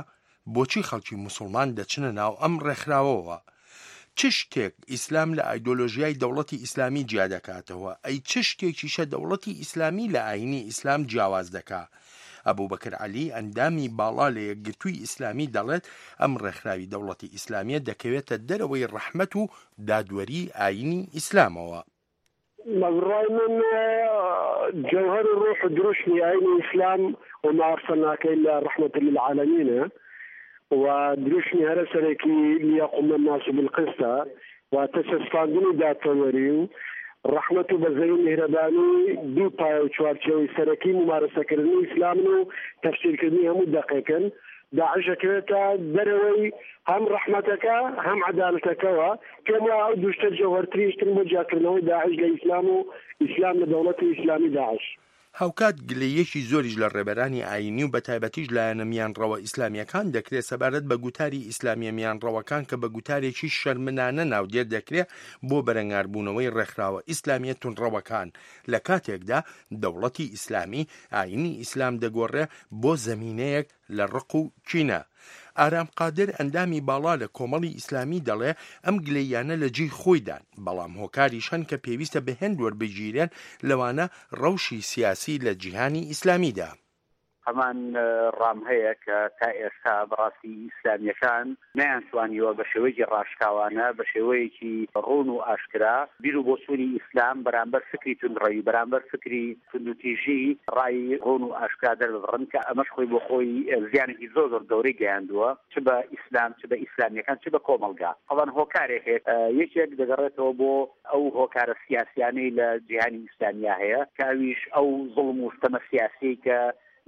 بۆچی خەڵکی موسڵمان دەچنە ناو ئەم ڕێکخراوەوە؟ چ شتێک ئیسلام لە ئایدۆلۆژیای دەوڵەتی ئیسلامی جیا دەکاتەوە؟ ئەی چ شتێکیشە دەوڵەتی ئیسلامی لە ئاینی ئیسلام جیاواز دەکا؟ ئەبوبەکر عەلی، ئەندامی باڵا لە یەکگرتووی ئیسلامی، دەڵێت ئەم ڕێکخراوی دەوڵەتی ئیسلامیە دەکەوێتە دەرەوەی ڕەحمەت و دادوەری ئاینی ئیسلامەوە. بە بڕوای من، جەوهەر و ڕۆح و دروشمی ئاینی ئیسلام وما ئەرسەلناکە ئیلا ڕەحمەتە للعالەمینە و دروشمی هەرە سەرەکی لیەقومە الناس بالقسطە، واتە چەسپاندنی دادپەروەری و ڕەحمەت و بەزەی و میهرەبانی دوو پایە و چوارچێوەی سەرەکی ممارەسەکردنی ئیسلامن و تەفسیرکردنی هەموو دەقێکن. داعش دەکەوێتە دەرەوەی هەم ڕەحمەتەکە، هەم عەدالەتەکەوە. پێم وایە ئەو دوو شتە جەوهەرترین شتن بۆ جیاکردنەوەی داعش لە ئیسلام و ئیسلام لە دەوڵەتی ئیسلامی داعش. هاوکات گلەییەکی زۆریش لە ڕێبەرانی ئاینی و بە تایبەتیش لایەنە میانڕەوە ئیسلامیەکان دەکرێت سەبارەت بە گوتاری ئیسلامیە میانڕەوەکان کە بە گوتارێکی شەرمنانە ناودێر دەکرێت بۆ بەرەنگاربوونەوەی ڕێکخراوە ئیسلامیە تونڕەوەکان، لە کاتێکدا دەوڵەتی ئیسلامی ئاینی ئیسلام دەگۆڕێ بۆ زەمینەیەک لە ڕق و کینە. ئارام قادر، ئەندامی باڵا لە کۆمەڵی ئیسلامی، دەڵێ ئەم گلەییانە لە جێی خۆیدان، بەڵام هۆکاریش هەن کە پێویستە بە هێند وەربگیرێن، لەوانە ڕەوشی سیاسی لە جیهانی ئیسلامیدا. هەمان، ئە، ڕام هەیە کە تا ئێستا بەڕاستی ئیسلامیەکان نەیانتوانیوە بە شێوەیەکی ڕاشکاوانە، بە شێوەیەکی ڕوون و ئاشکرا بیر و بۆچوونی ئیسلام بەرامبەر فکری توندڕەوی، بەرامبەر فکری توندوتیژی ڕای ڕوون و ئاشکرا دەرببڕن کە ئەمەش خۆی بۆ خۆی زیانێکی زۆر زۆر گەورەی گەیاندووە، چ بە ئیسلام، چ بە ئیسلامیەکان، چ بە کۆمەڵگا. تەبەن هۆکارێک هەیە، ئە، یەکێک دەگەڕێتەوە بۆ ئەو هۆکارە سیاسیانەی لە جیهانی ئیسلامیا هەیە کە ئەویش ئەو زوڵم و ستەمە سیاسی کە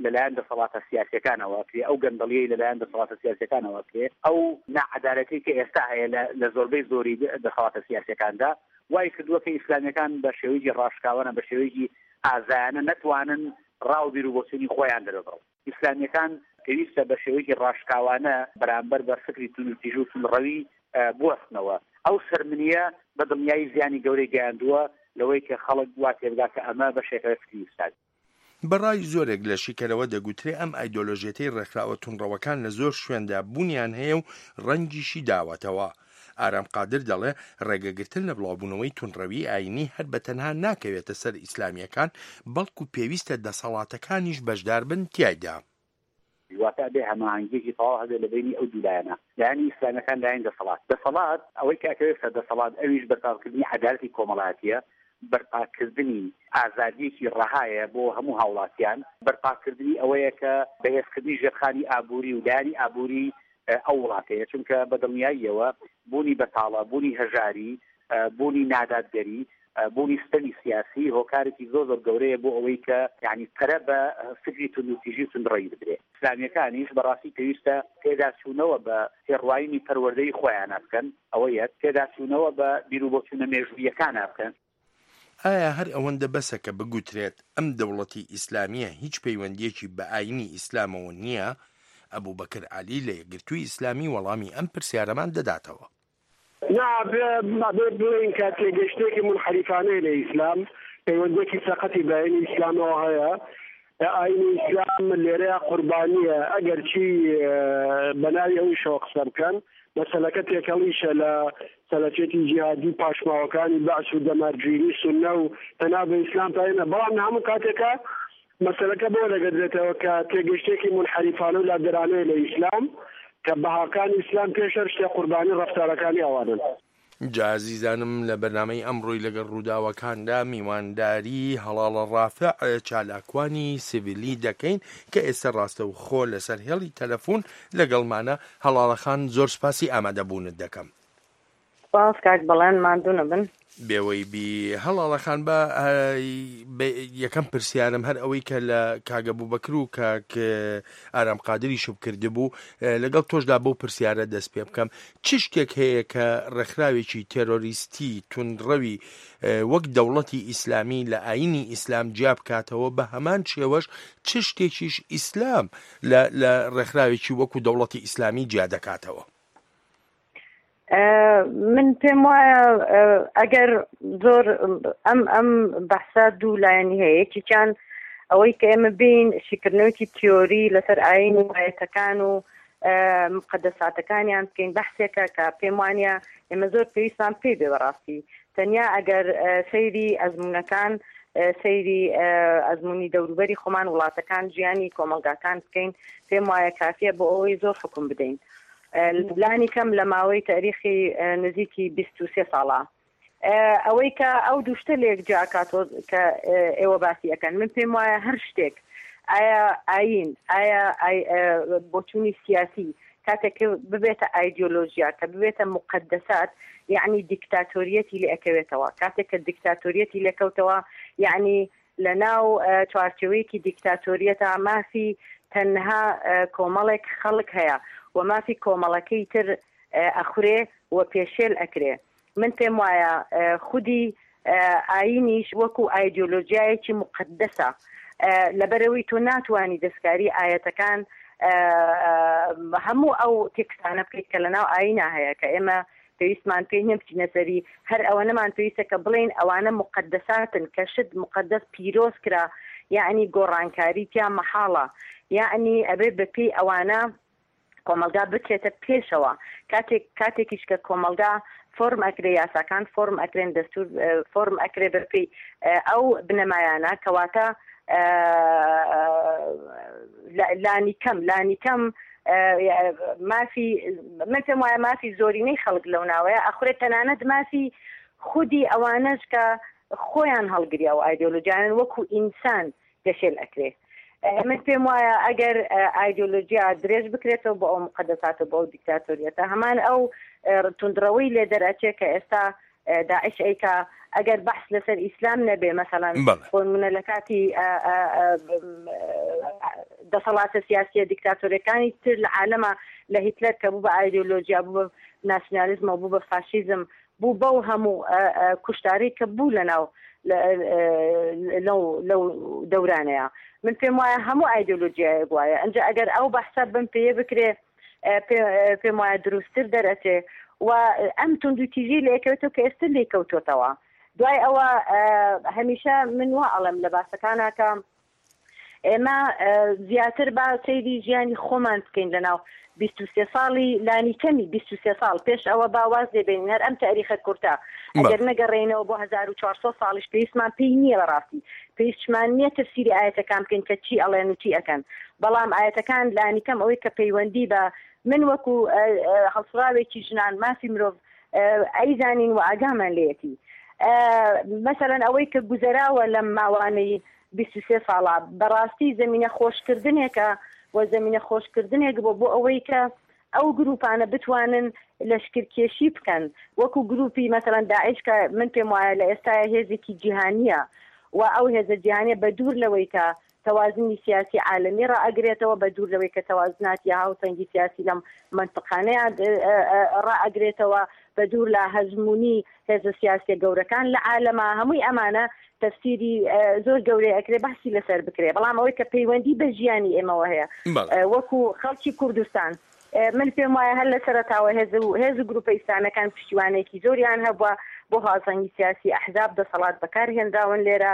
لەلایەن دەسەڵاتە سیاسیەکانەوە کرێ، ئەو گەندەڵیەی لەلایەن دەسەڵاتە سیاسیەکانەوە کرێ، ئەو نەعەدالەتی کە ئێستا هەیە لە، لە زۆربەی زۆری دەسەڵاتە سیاسیەکاندا، وای کردووە کە ئیسلامیەکان بە شێوەیەکی ڕاشکاوانە، بە شێوەیەکی ئازایانە نەتوانن ڕاو بیر و بۆچوونی خۆیان دەربڕن. ئیسلامیەکان پێویستە بە شێوەیەکی ڕاشکاوانە بەرامبەر بە فکری تون و تیژ و تونڕەوی، ئە، بوەستنەوە. ئەو سەرمنیە بە دڵنیایی زیانی گەورەی گەیاندووە لەوەی کە خەڵک وا تێبگا کە ئەمە بەشێکە لە فکری ئیسلام. بەڕای زۆرێک لە شیکەرەوە دەگوترێ ئەم ئایدۆلۆژیەتەی ڕێکخراوە تونڕەوەکان لە زۆر شوێندا بوونیان هەیە و ڕەنگیشی داوەتەوە. ئارام قادر دەڵێ ڕێگەگرتن لە بڵاوبوونەوەی تونڕەوی ئاینی هەر بە تەنها ناکەوێتە سەر ئیسلامیەکان، بەڵکو پێویستە دەسەڵاتەکانیش بەشدار بن تیایدا. واتە ئەبێ هەماهەنگیەکی تەواو هەبێ لە بینی ئەو دوو لایەنە، لایەنی ئیسلامەکان، لایەنی دەسەڵات. دەسەڵات ئەوەی کە ئەکەوێت سەر دەسەڵات، ئەویش بەرپاکردنی عەدالەتی کۆمەڵایەتیە، بەرپاکردنی ئازادیەکی ڕەهایە بۆ هەموو هاوڵاتیان، بەرپاکردنی ئەوەیە کە بەهێزکردنی ژێرخانی ئابووری و لایەنی ئابووری، ئە، ئەو وڵاتەیە، چونکە بە دڵنیاییەوە بوونی بەتاڵە، بوونی هەژاری، ئە، بوونی نادادگەری، ئە، بوونی ستەمی سیاسی هۆکارێکی زۆر زۆر گەورەیە بۆ ئەوەی کە، یعنی، پەرە بە فکری توندوتیژی و توندڕەوی بدرێ. ئیسلامیەکانیش بەڕاستی پێویستە پێداچوونەوە بە تێڕوانینی پەروەردەی خۆیانە بکەن، ئەوە یەک، پێداچوونەوە بە بیرروبۆچوونە مێژوویەکانە بکەن. ئایا هەر ئەوەندە بەسە کە بگوترێت ئەم دەوڵەتی ئیسلامیە هیچ پەیوەندیەکی بە ئاینی ئیسلامەوە نییە؟ ئەبوو بەکر عەلی لە یەکگرتووی ئیسلامی وەڵامی ئەم پرسیارەمان دەداتەوە. نا، بێ، بێ بڵێن کە تێگەشتێکی منحریفانەیە لە ئیسلام، پەیوەندیەکی سەقەتی بە ئاینی ئیسلامەوە هەیە. ئاینی ئیسلام لێرەیە قوربانیە، ئەگەر چی، ئە، بە ناوی ئەوی شەوە قسە بکەن. مەسەلەکە تێکەڵیشە لە سەلەفێتی جیهادی پاشماوەکانی بەعس و دەمارگیری سونە و تەنها بە ئیسلام پایە نە. بەڵام هەموو کاتێکە مەسەلەکە بۆ دەگەدرێتەوە کە تێگەشتێکی منحریفانە و لادەرانەیە لە ئیسلام کە بەهاکانی ئیسلام پێش هەر شتێ قوربانی ڕەفتارەکانی ئەوانن. جا ئازیزانم، لە بەرنامەی ئەمڕۆی لەگەڵ ڕووداوەکاندا میوانداری هەڵاڵە ڕافع، چالاکوانی سیڤیلی دەکەین کە ئێستا ڕاستەوخۆ لەسەر هێڵی تەلەفۆن لەگەڵمانە. هەڵاڵە خان، زۆر سپاسی ئامادەبوونت دەکەم. سپاس کاک بەڵێن، ماندوو نەبن. بێوەی بی هەڵاڵە خان، بە، ئە، بە یەکەم پرسیارم هەر ئەوەی کە لە کاگە بوبەکر و کاک، ئە، ئارام قادری شوب کرده بوو، ئە، لەگەڵ تۆشدا بەو پرسیارە دەست پێ بکەم. چ شتێک هەیە کە ڕێکخراوێکی تێرۆریستی تونڕەوی، ئە، وەک دەوڵەتی ئیسلامی لە ئاینی ئیسلام جیا بکاتەوە، بە هەمان شێوەش چ شتێکیش ئیسلام لە، لە ڕێکخراوێکی وەکو دەوڵەتی ئیسلامی جیا دەکاتەوە؟ ئە، من پێم وایە، ئە، ئەگەر زۆر ئەم، ئەم بەحسە دوو لایەنی هەیە. یەکێکیان ئەوەی کە ئێمە بین شیکردنەوەیەکی تیۆری لەسەر ئاین و ئاەتەکان و، ئە، مقدساتەکانیان بکەین، بەحسێکە کە پێم وانە ئێمە زۆر پێویستمان پێی بێ بەڕاستی. تەنیا ئەگەر، ئە، سەیری ئەزموونەکان، ئە، سەیری، ئە، ئەزموونی دەوروبەری خۆمان، وڵاتەکان، ژیانی کۆمەلگاکان بکەین، پێم وایە کافیە بۆ ئەوەی زۆر حکم بدەین. ئە، لانی کەم لە ماوەی تاریخی، ئە، نزیکی بیست و سێ ساڵە. ئە، ئەوەی کە ئەو دوو شتە لە یەک جیا کاتۆ کە، ئە، ئێوە باسی ئەکەن، من پێم وایە هەر شتێک، ئایا ئاین، ئایا ئای-، ئە، بۆچوونی سیاسی، کاتێک کە ببێتە ئایدیۆلۆژیا، کە ببێتە مقدسات، یعنی دیکتاتۆریەتی لێ ئەکەوێتەوە. کاتێک کە دیکتاتۆریەتی لێکەوتەوە، یعنی لە ناو، ئە، چوارچێوەیەکی دیکتاتۆریەتا مافی تەنها، ئە، کۆمەڵێک خەڵک هەیە و مافی کۆمەڵەکەی تر، ئە، ئەخورێ و پێشێل ئەکرێ. من پێم وایە، ئە، خودی، ئە، ئاینیش وەکو ئایدیۆلۆژیایەکی مقدسە، ئە، لەبەرەوەی تۆ ناتوانی دەستکاری ئاەتەکان، ئە، ئە، هەموو ئەو تێکستانە بکەیت کە لە ناو ئاینا هەیە کە ئێمە پێویستمان پێی نیە بچینە سەری. هەر ئەوەنەمان پێویستە کە بڵێن ئەوانە مقدساتن، کە شت مقدس پیرۆز کرا، یعنی گۆڕانکاری تیا مەحاڵە، یعنی ئەبێ بە پێی ئەوانە کۆمەلگا بچێتە پێشەوە. کاتێک، کاتێکیش کە کۆمەلگا فۆرم ئەکرێ، یاساکان فۆرم ئەکرێن، دەستور، ئە، فۆرم ئەکرێ بەپێی، ئە، ئەو بنەمایانە، کەواتە، ئە، لانی کەم، لانی کەم، ئە، مافی، من پێم وایە مافی زۆرینەی خەڵک لەو ناوەیە ئەخورێت، تەنانەت مافی خودی ئەوانەش کە خۆیان هەڵگریا و ئایدیۆلۆژیانن وەکو ئینسان گەشێل ئەکرێ. ئە، من پێم وایە ئەگەر، ئە، ئایدیۆلۆژیا درێژ بکرێتەوە بۆ ئەو مقدساتە، بۆ ئەو دیکتاتۆریەتە، هەمان ئەو، ئە، تونندڕەوەی لێ دەرەچێ کە ئێستا، ئە، داعش ئەیکا، ئەگەر بەحس لەسەر ئیسلام نەبێ، مەسەلەن، بەڵێ. بۆ نمونە لە کاتی، ئە، ئە، ئە، ب-، ئە، دەسەڵاتە سیاسیە دیکتاتۆرەکانی تر لە عالەما، لە هیتلەر کە بوو بە ئایدۆلۆژیا، بوو بە ناسیۆنالیزم و بوو بە فاشیزم، بوو بەو هەموو کوشتاری کە بوو لە ناو لەو لەو دەورانەیە. من پێم وایە هەموو ئایدۆلۆژیایەک وایە. ئەنجا ئەگەر ئەو بەحسە بم پێ بکرێ، پێم وایە دروستتر دەرەچێ و ئەم توندوتیژی لە یەکەوێتەوە کە ئێستا لێکەوتۆتەوە. دوای ئەوە، هەمیشە من وا ئەڵێم لە باسەکانە کە ئێمە زیاتر با سەیری ژیانی خۆمان بکەین لە ناو بیست و سێ ساڵی، لانی کەمی بیست و سێ ساڵ پێش ئەوە با واز لێ بێنین. هەر ئەم تاریخە کورتە ئەگەر نەگەڕێینەوە بۆ هەزار و چوار سەد ساڵیش، پێویستمان پێی نییە بەڕاستی. پێویستمان نییە تەفسیری ئاەتەکان بکەین کە چی ئەڵێن و چی ئەکەن، بەڵام ئاەتەکان لانی کەم ئەوەی کە پەیوەندی بە من وەکو هەڵسڕاوێکی ژنان مافی مرۆڤ ئەیزانین و ئاگامان لێتی. مەسەلەن ئەوەی کە گوزەراوە لەم ماوانەی بیست و سێ ساڵە، بەڕاستی زەمینە خۆشکردنێکە و زەمینە خۆشکردنێک بۆ بۆ ئەوەی کە ئەو گروپانە بتوانن لەشکرکێشی بکەن، وەکو گروپی مەسەلەن داعش کە من پێم وایە لە ئێستاە هێزێکی جیهانیە و ئەو هێزە جیهانیە بە دوور لەوەی کە تەوازنی سیاسی عالەمی ڕائەگرێتەوە، بە دوور لەوەی کە تەوازناتی هاوسەنگی سیاسی لەم منتقانەیە ڕائەگرێتەوە، بە دوور لە هەژمونی هێزە سیاسیە گەورەکان لە عالەما. هەمووی ئەمانە تەفسیری زۆر گەورەی ئەکرێ بەحسی لەسەر بکرێ، بەڵام ئەوەی کە پەیوەندی بە ژیانی ئێمەوە هەیە وەکو خەڵکی کوردستان، من پێم وایە هەر لە سەرەتاوە هێز و هێز و گروپە ئیسلامەکان پشتیوانێکی زۆریان هەبووە بۆ هاوسەنگی سیاسی، ئەحزاب دەسەڵات بەکار هێنراون لێرە.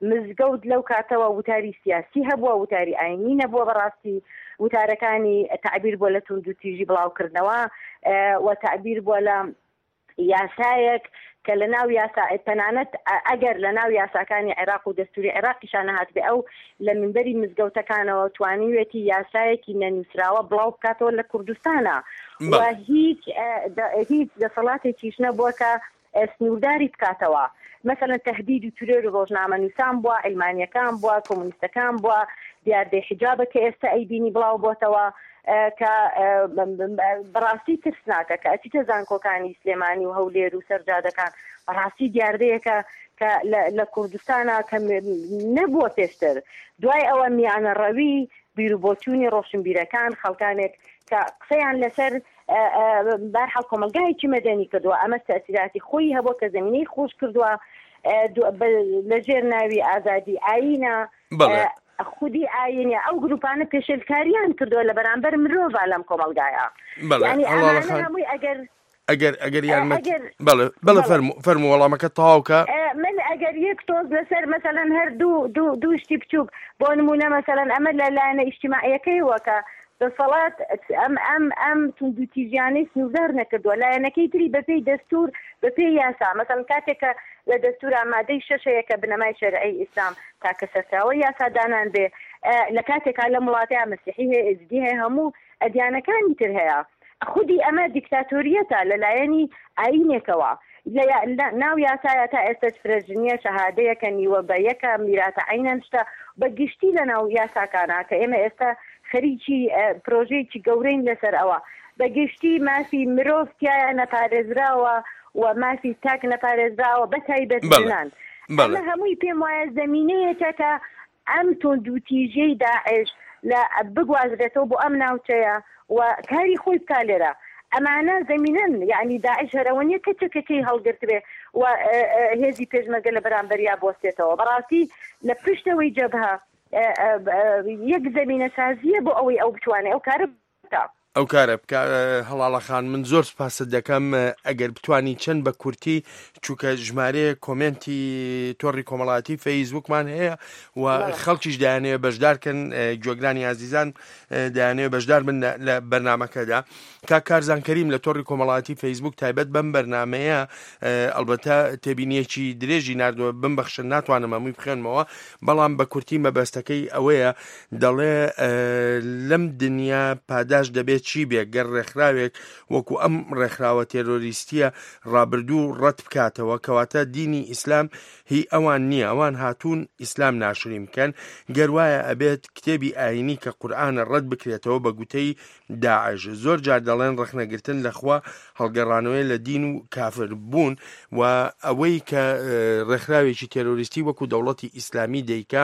مزگەوت لەو کاتەوە وتاری سیاسی هەبووە، وتاری ئاینی نەبووە بەڕاستی. وتارەکانی تعبیر بۆ لە توندوتیژی بڵاوکردنەوە و تعبیر بۆ لە یاسایەک کە لە ناو یاسا، تەنانەت ئەگەر لە ناو یاساکانی عێراق و دەستوری عێراقیشان نەهاتبێ، ئەو لە منبەری مزگەوتەکانەوە توانیوێتی یاسایەکی نەنووسراوە بڵاو بکاتەوە لە کوردستانە و هیچ هیچ دەسەڵاتێکیش نەبووە کە سنوورداری بکاتەوە. مەسەلەن تەهدید و ترێر و ڕۆژنامە نووسان بووە، عیلمانیەکان بووە، کۆمونیستەکان بووە، دیاردەی حیجابە کە ئێستا ئەیبینی بڵاو بۆتەوە، کە بەڕاستی ترسناکە کە ئەچیتە زانکۆکانی سلێمانی و هەولێر و سەرجادەکان. بەڕاستی دیاردەیەکە کە لە کوردستانە کە نەبووە پێشتر. دوای ئەوە میانە ڕەوی بیرروبۆچوونی ڕۆشنبیرەکان، خەڵکانێک کە قسەیان لەسەر بارحاڵ کۆمەلگایەکی مەدەنی کردووە، ئەمە تەسیراتی خۆی هەبووە کە زمینەی خۆش کردووە لە ژێر ناوی ئازادی ئاینە. خودی ئاینە ئەو گروپانە پێشێلکاریان کردووە لە بەرامبەر مرۆڤ لەم کۆمەلگایە. یعنی ئەمانە هەمووی ئەگەر ئەگەر ئەگەر یارمەتی ئەگەر بەڵێ بەڵێ بەڵێ. فەرمو فەرمو وەڵامەکە تەواوکە. من ئەگەر یەک تۆز لەسەر مەسەلەن هەر دوو دوو دوو شتی بچووک، بۆ نمونە مەسەلەن ئەمە لە لایەنە ئیجتیماعیەکەی وەکە دەسەڵات ئەم ئەم ئەم توندوتیژیانەی سنووردار نەکردووە، لایەنەکەی تری بەپێی دەستور، بەپێی یاسا. مەسەلەن کاتێکە لە دەستورا مادەی شەش هەیە کە بنەمای شەرعی ئیسلام تاکە سەرچاوەی یاسادانان بێ، لە کاتێکا لە وڵاتەیە مەسیحی هەیە، ئێزدی هەیە، هەموو ئەدیانەکانی تر هەیە. خودی ئەمە دیکتاتۆریەتە لەلایەنی ئاینێکەوە. لە ناو یاسایە تا ئێستاش فرەژنیە شەهادەیەکە نیوە بە یەکە میراتە عینەن شتە بە گشتی لە ناو یاساکانە کە ئێمە ئێستا خەریکی پرۆژەیەکی گەورەین لەسەر ئەوە. بە گشتی مافی مرۆڤ تایە نەپارێزراوە و مافی تاک نەپارێزراوە، بە تایبەت ژنان. ئەمە هەمووی پێم وایە زمینەیەکە کە ئەم توندوتیژیەی داعش لە بگوازرێتەوە بۆ ئەم ناوچەیە و کاری خۆی بکا لێرە. ئەمانە زمینەن، یعنی داعش هەرەوە نیە کە چەکەکەی هەڵگرتبێ و هێزی پێشمەرگە لە بەرامبەریا بۆستێتەوە. بەڕاستی لە پشتەوەی جەبهە یەک زمینە سازیە بۆ ئەوەی ئەو بتوانێت ئەو کارە بکا. ئەو کارە بکە. هەڵاڵە خان، من زۆر سپاست دەکەم. ئەگەر بتوانی چەند بە کورتی، چونکە ژمارەیە کۆمێنتی تۆڕی کۆمەڵایەتی فەیسبوکمان هەیە و خەڵکیش دەیانەوێت بەشدارکەن، گوێگرانی ئازیزان دەیانەوێت بەشدار بن لە بەرنمەکەدا. کاک کارزان کەریم لە تۆڕی کۆمەڵایەتی فەیسبوک تایبەت بەم بەرنمەیە، ئەلبەتە تێبینیەکی درێژی نردووە، بمبەخشن ناتوانم هەمووی بخێنمەوە، بەڵام بە کورتی مەبەستەکەی ئەوەیە، دەڵێ لەم دنیا پاداش دەبێت چی بێ، گەر ڕێکخراوێک وەکو ئەم ڕێکخراوە تێرۆریستیە ڕابردوو ڕەت بکاتەوە، کەواتە دینی ئیسلام هی ئەوان نییە، ئەوان هاتوون ئیسلام ناشرین بکەن. گەر وایە ئەبێت کتێبی ئاینی کە قورئانە ڕەت بکرێتەوە بە گوتەی داعش. زۆر جار دەڵێن ڕەخنەگرتن لە خوا هەڵگەڕانەوەی لە دین و کافر بوون و ئەوەی کە ڕێکخراوێکی تێرۆریستی وەکو دەوڵەتی ئیسلامی دەیکا،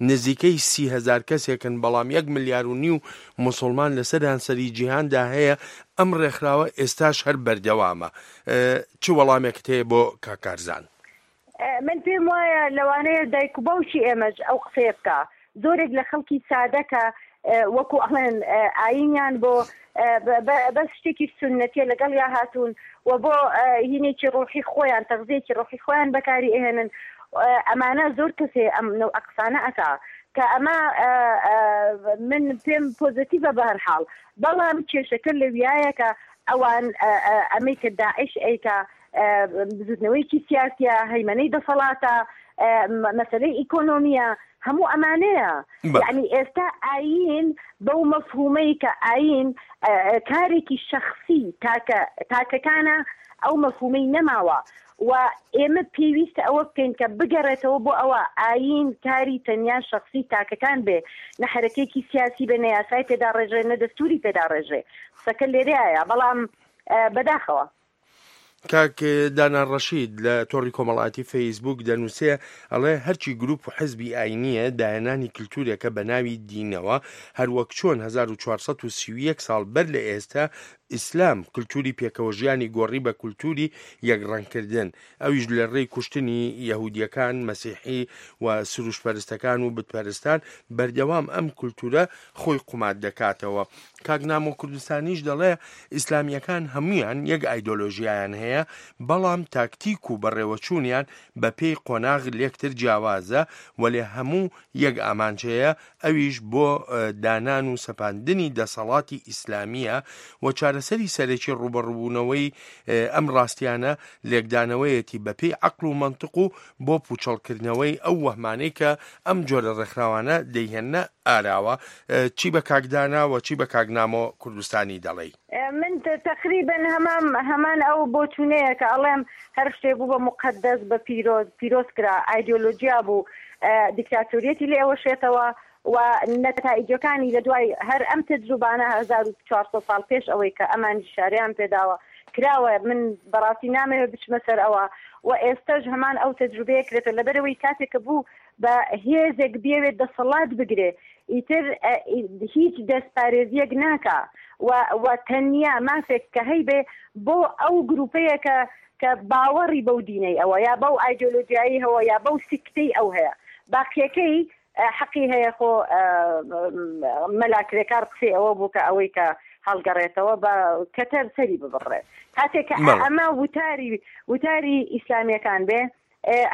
نزیکەی سی هەزار کەسێکن، بەڵام یەک ملیار و نیو موسڵمان لەسەر هەنسەری جیهاندا هەیە. ئەم ڕێکخراوە ئێستاش هەر بەردەوامە. چ وەڵامێکت هەیە بۆ کاکارزان؟ من پێم وایە لەوانەیە دایک و باوکی ئێمەش ئەو قسەیە بکە. زۆرێک لە خەڵکی سادە کە وەکو ئەڵێن ئاینیان بۆ بەس شتێکی سونەتیە لەگەڵیا هاتوون و بۆ هینێکی ڕۆحی خۆیان، تەغزیەکی ڕۆحی خۆیان بەکاری ئەهێنن. ئەمانە زۆر کەسێ ئەم نەو ئەقسانە ئەکا کە ئەمە من پێم پۆزتیڤە بە هەر حاڵ. بەڵام کێشەکە لەویایە کە ئەوان ئەمەی کە داعش ئەیکا بزوتنەوەیەکی سیاسیە، هەیمەنەی دەسەڵاتە، مەسەلەی ئیکۆنۆمیە، هەموو ئەمانەیە. یعنی ئێستا ئاین بەو مەفهومەی کە ئاین کارێکی شەخسی تاکە تاکەکانە، ئەو مەفهومەی نەماوە و ئێمە پێویستە ئەوە بکەین کە بگەڕێتەوە بۆ ئەوە ئاین کاری تەنیا شەخسی تاکەکان بێ، نە حرەکەیەکی سیاسی بێ، نە یاسای پێداڕێژێ، نە دەستوری پێداڕێژێ. قسەکە لێرەیە، بەڵام بەداخەوە. کاک دانا ڕەشید لە تۆڕی کۆمەڵاتی فەیسبووک دەنووسێ، ئەڵێ هەرچی گروپ و حزبی ئاینیە دایەنانی کلتورێکە بە ناوی دینەوە، هەروەک چۆن هەزار و چوارسەد و سی و یەک ساڵ بەر لە ئێستا ئیسلام کلتوری پێکەوە ژیانی گۆڕی بە کلتوری یەکڕەنگکردن، ئەویش لە ڕێی کوشتنی یەهودیەکان، مەسیحی و سروشپەرستەکان و بتپەرستان بەردەوام ئەم کلتورە خۆی قومات دەکاتەوە. کاک نامۆ کوردستانیش دەڵێ ئیسلامیەکان هەمویان یەک ئایدۆلۆژیایان هەیە، بەڵام تاکتیک و بەڕێوەچوونیان بە پێی قۆناغ لێکتر جیاوازە، وەلێ هەموو یەک ئامانجەیە، ئەویش بۆ دانان و سەپاندنی دەسەڵاتی ئیسلامیە و چارەسەری سەرەکی ڕوبەڕوبوونەوەی ئەم ڕاستیانە لێکدانەوەیەتی بە پێی عەقڵ و مەنتق و بۆ پوچەڵکردنەوەی ئەو وەهمانەی کە ئەم جۆرە ڕێکخراوانە دەیهێننە ئاراوە. چی بە کاک دانا و چی بە کاک نامۆ کوردستانی دەڵێی؟ من تقریبا هەمان هەمان ئەو بۆچوونەیە کە ئەڵێم هەر شتێ بوو بە مقدس، بە پیرۆز پیرۆز کرا، ئایدۆلۆژیا بوو، دیکتاتۆریەتی لێ ئەوەشێتەوە و نەتائیجەکانی لە دوای هەر ئەم تەجروبانە هەزار و چوارسەد ساڵ پێش ئەوەی کە ئەمانی شاریان پێداوە کراوە. من بەڕاستی نامەوێت بچمە سەر ئەوە و ئێستەش هەمان ئەو تەجروبەیە کرێتە لەبەرەوەی کاتێک کە بوو بە هێزێک بێوێت دەسەڵات بگرێ، ئیتر هیچ دەستپارێزیەک ناکا و تەنیا مافێک کە هەیبێ بۆ ئەو گروپەیە کە کە باوەڕی بەو دینەی ئەوە یا بەو ئایدۆلۆژیایی هەوە یا بەو سکتەی ئەو هەیە، باقیەکەی حەقی هەیە خۆ مەلا کرێکار قسەی ئەوە بوو کە ئەوەی کە هەڵگەڕێتەوە بە کەتەر سەری ببڕێ. کاتێک کە ئەمە وتاری وتاری ئیسلامیەکان بێ،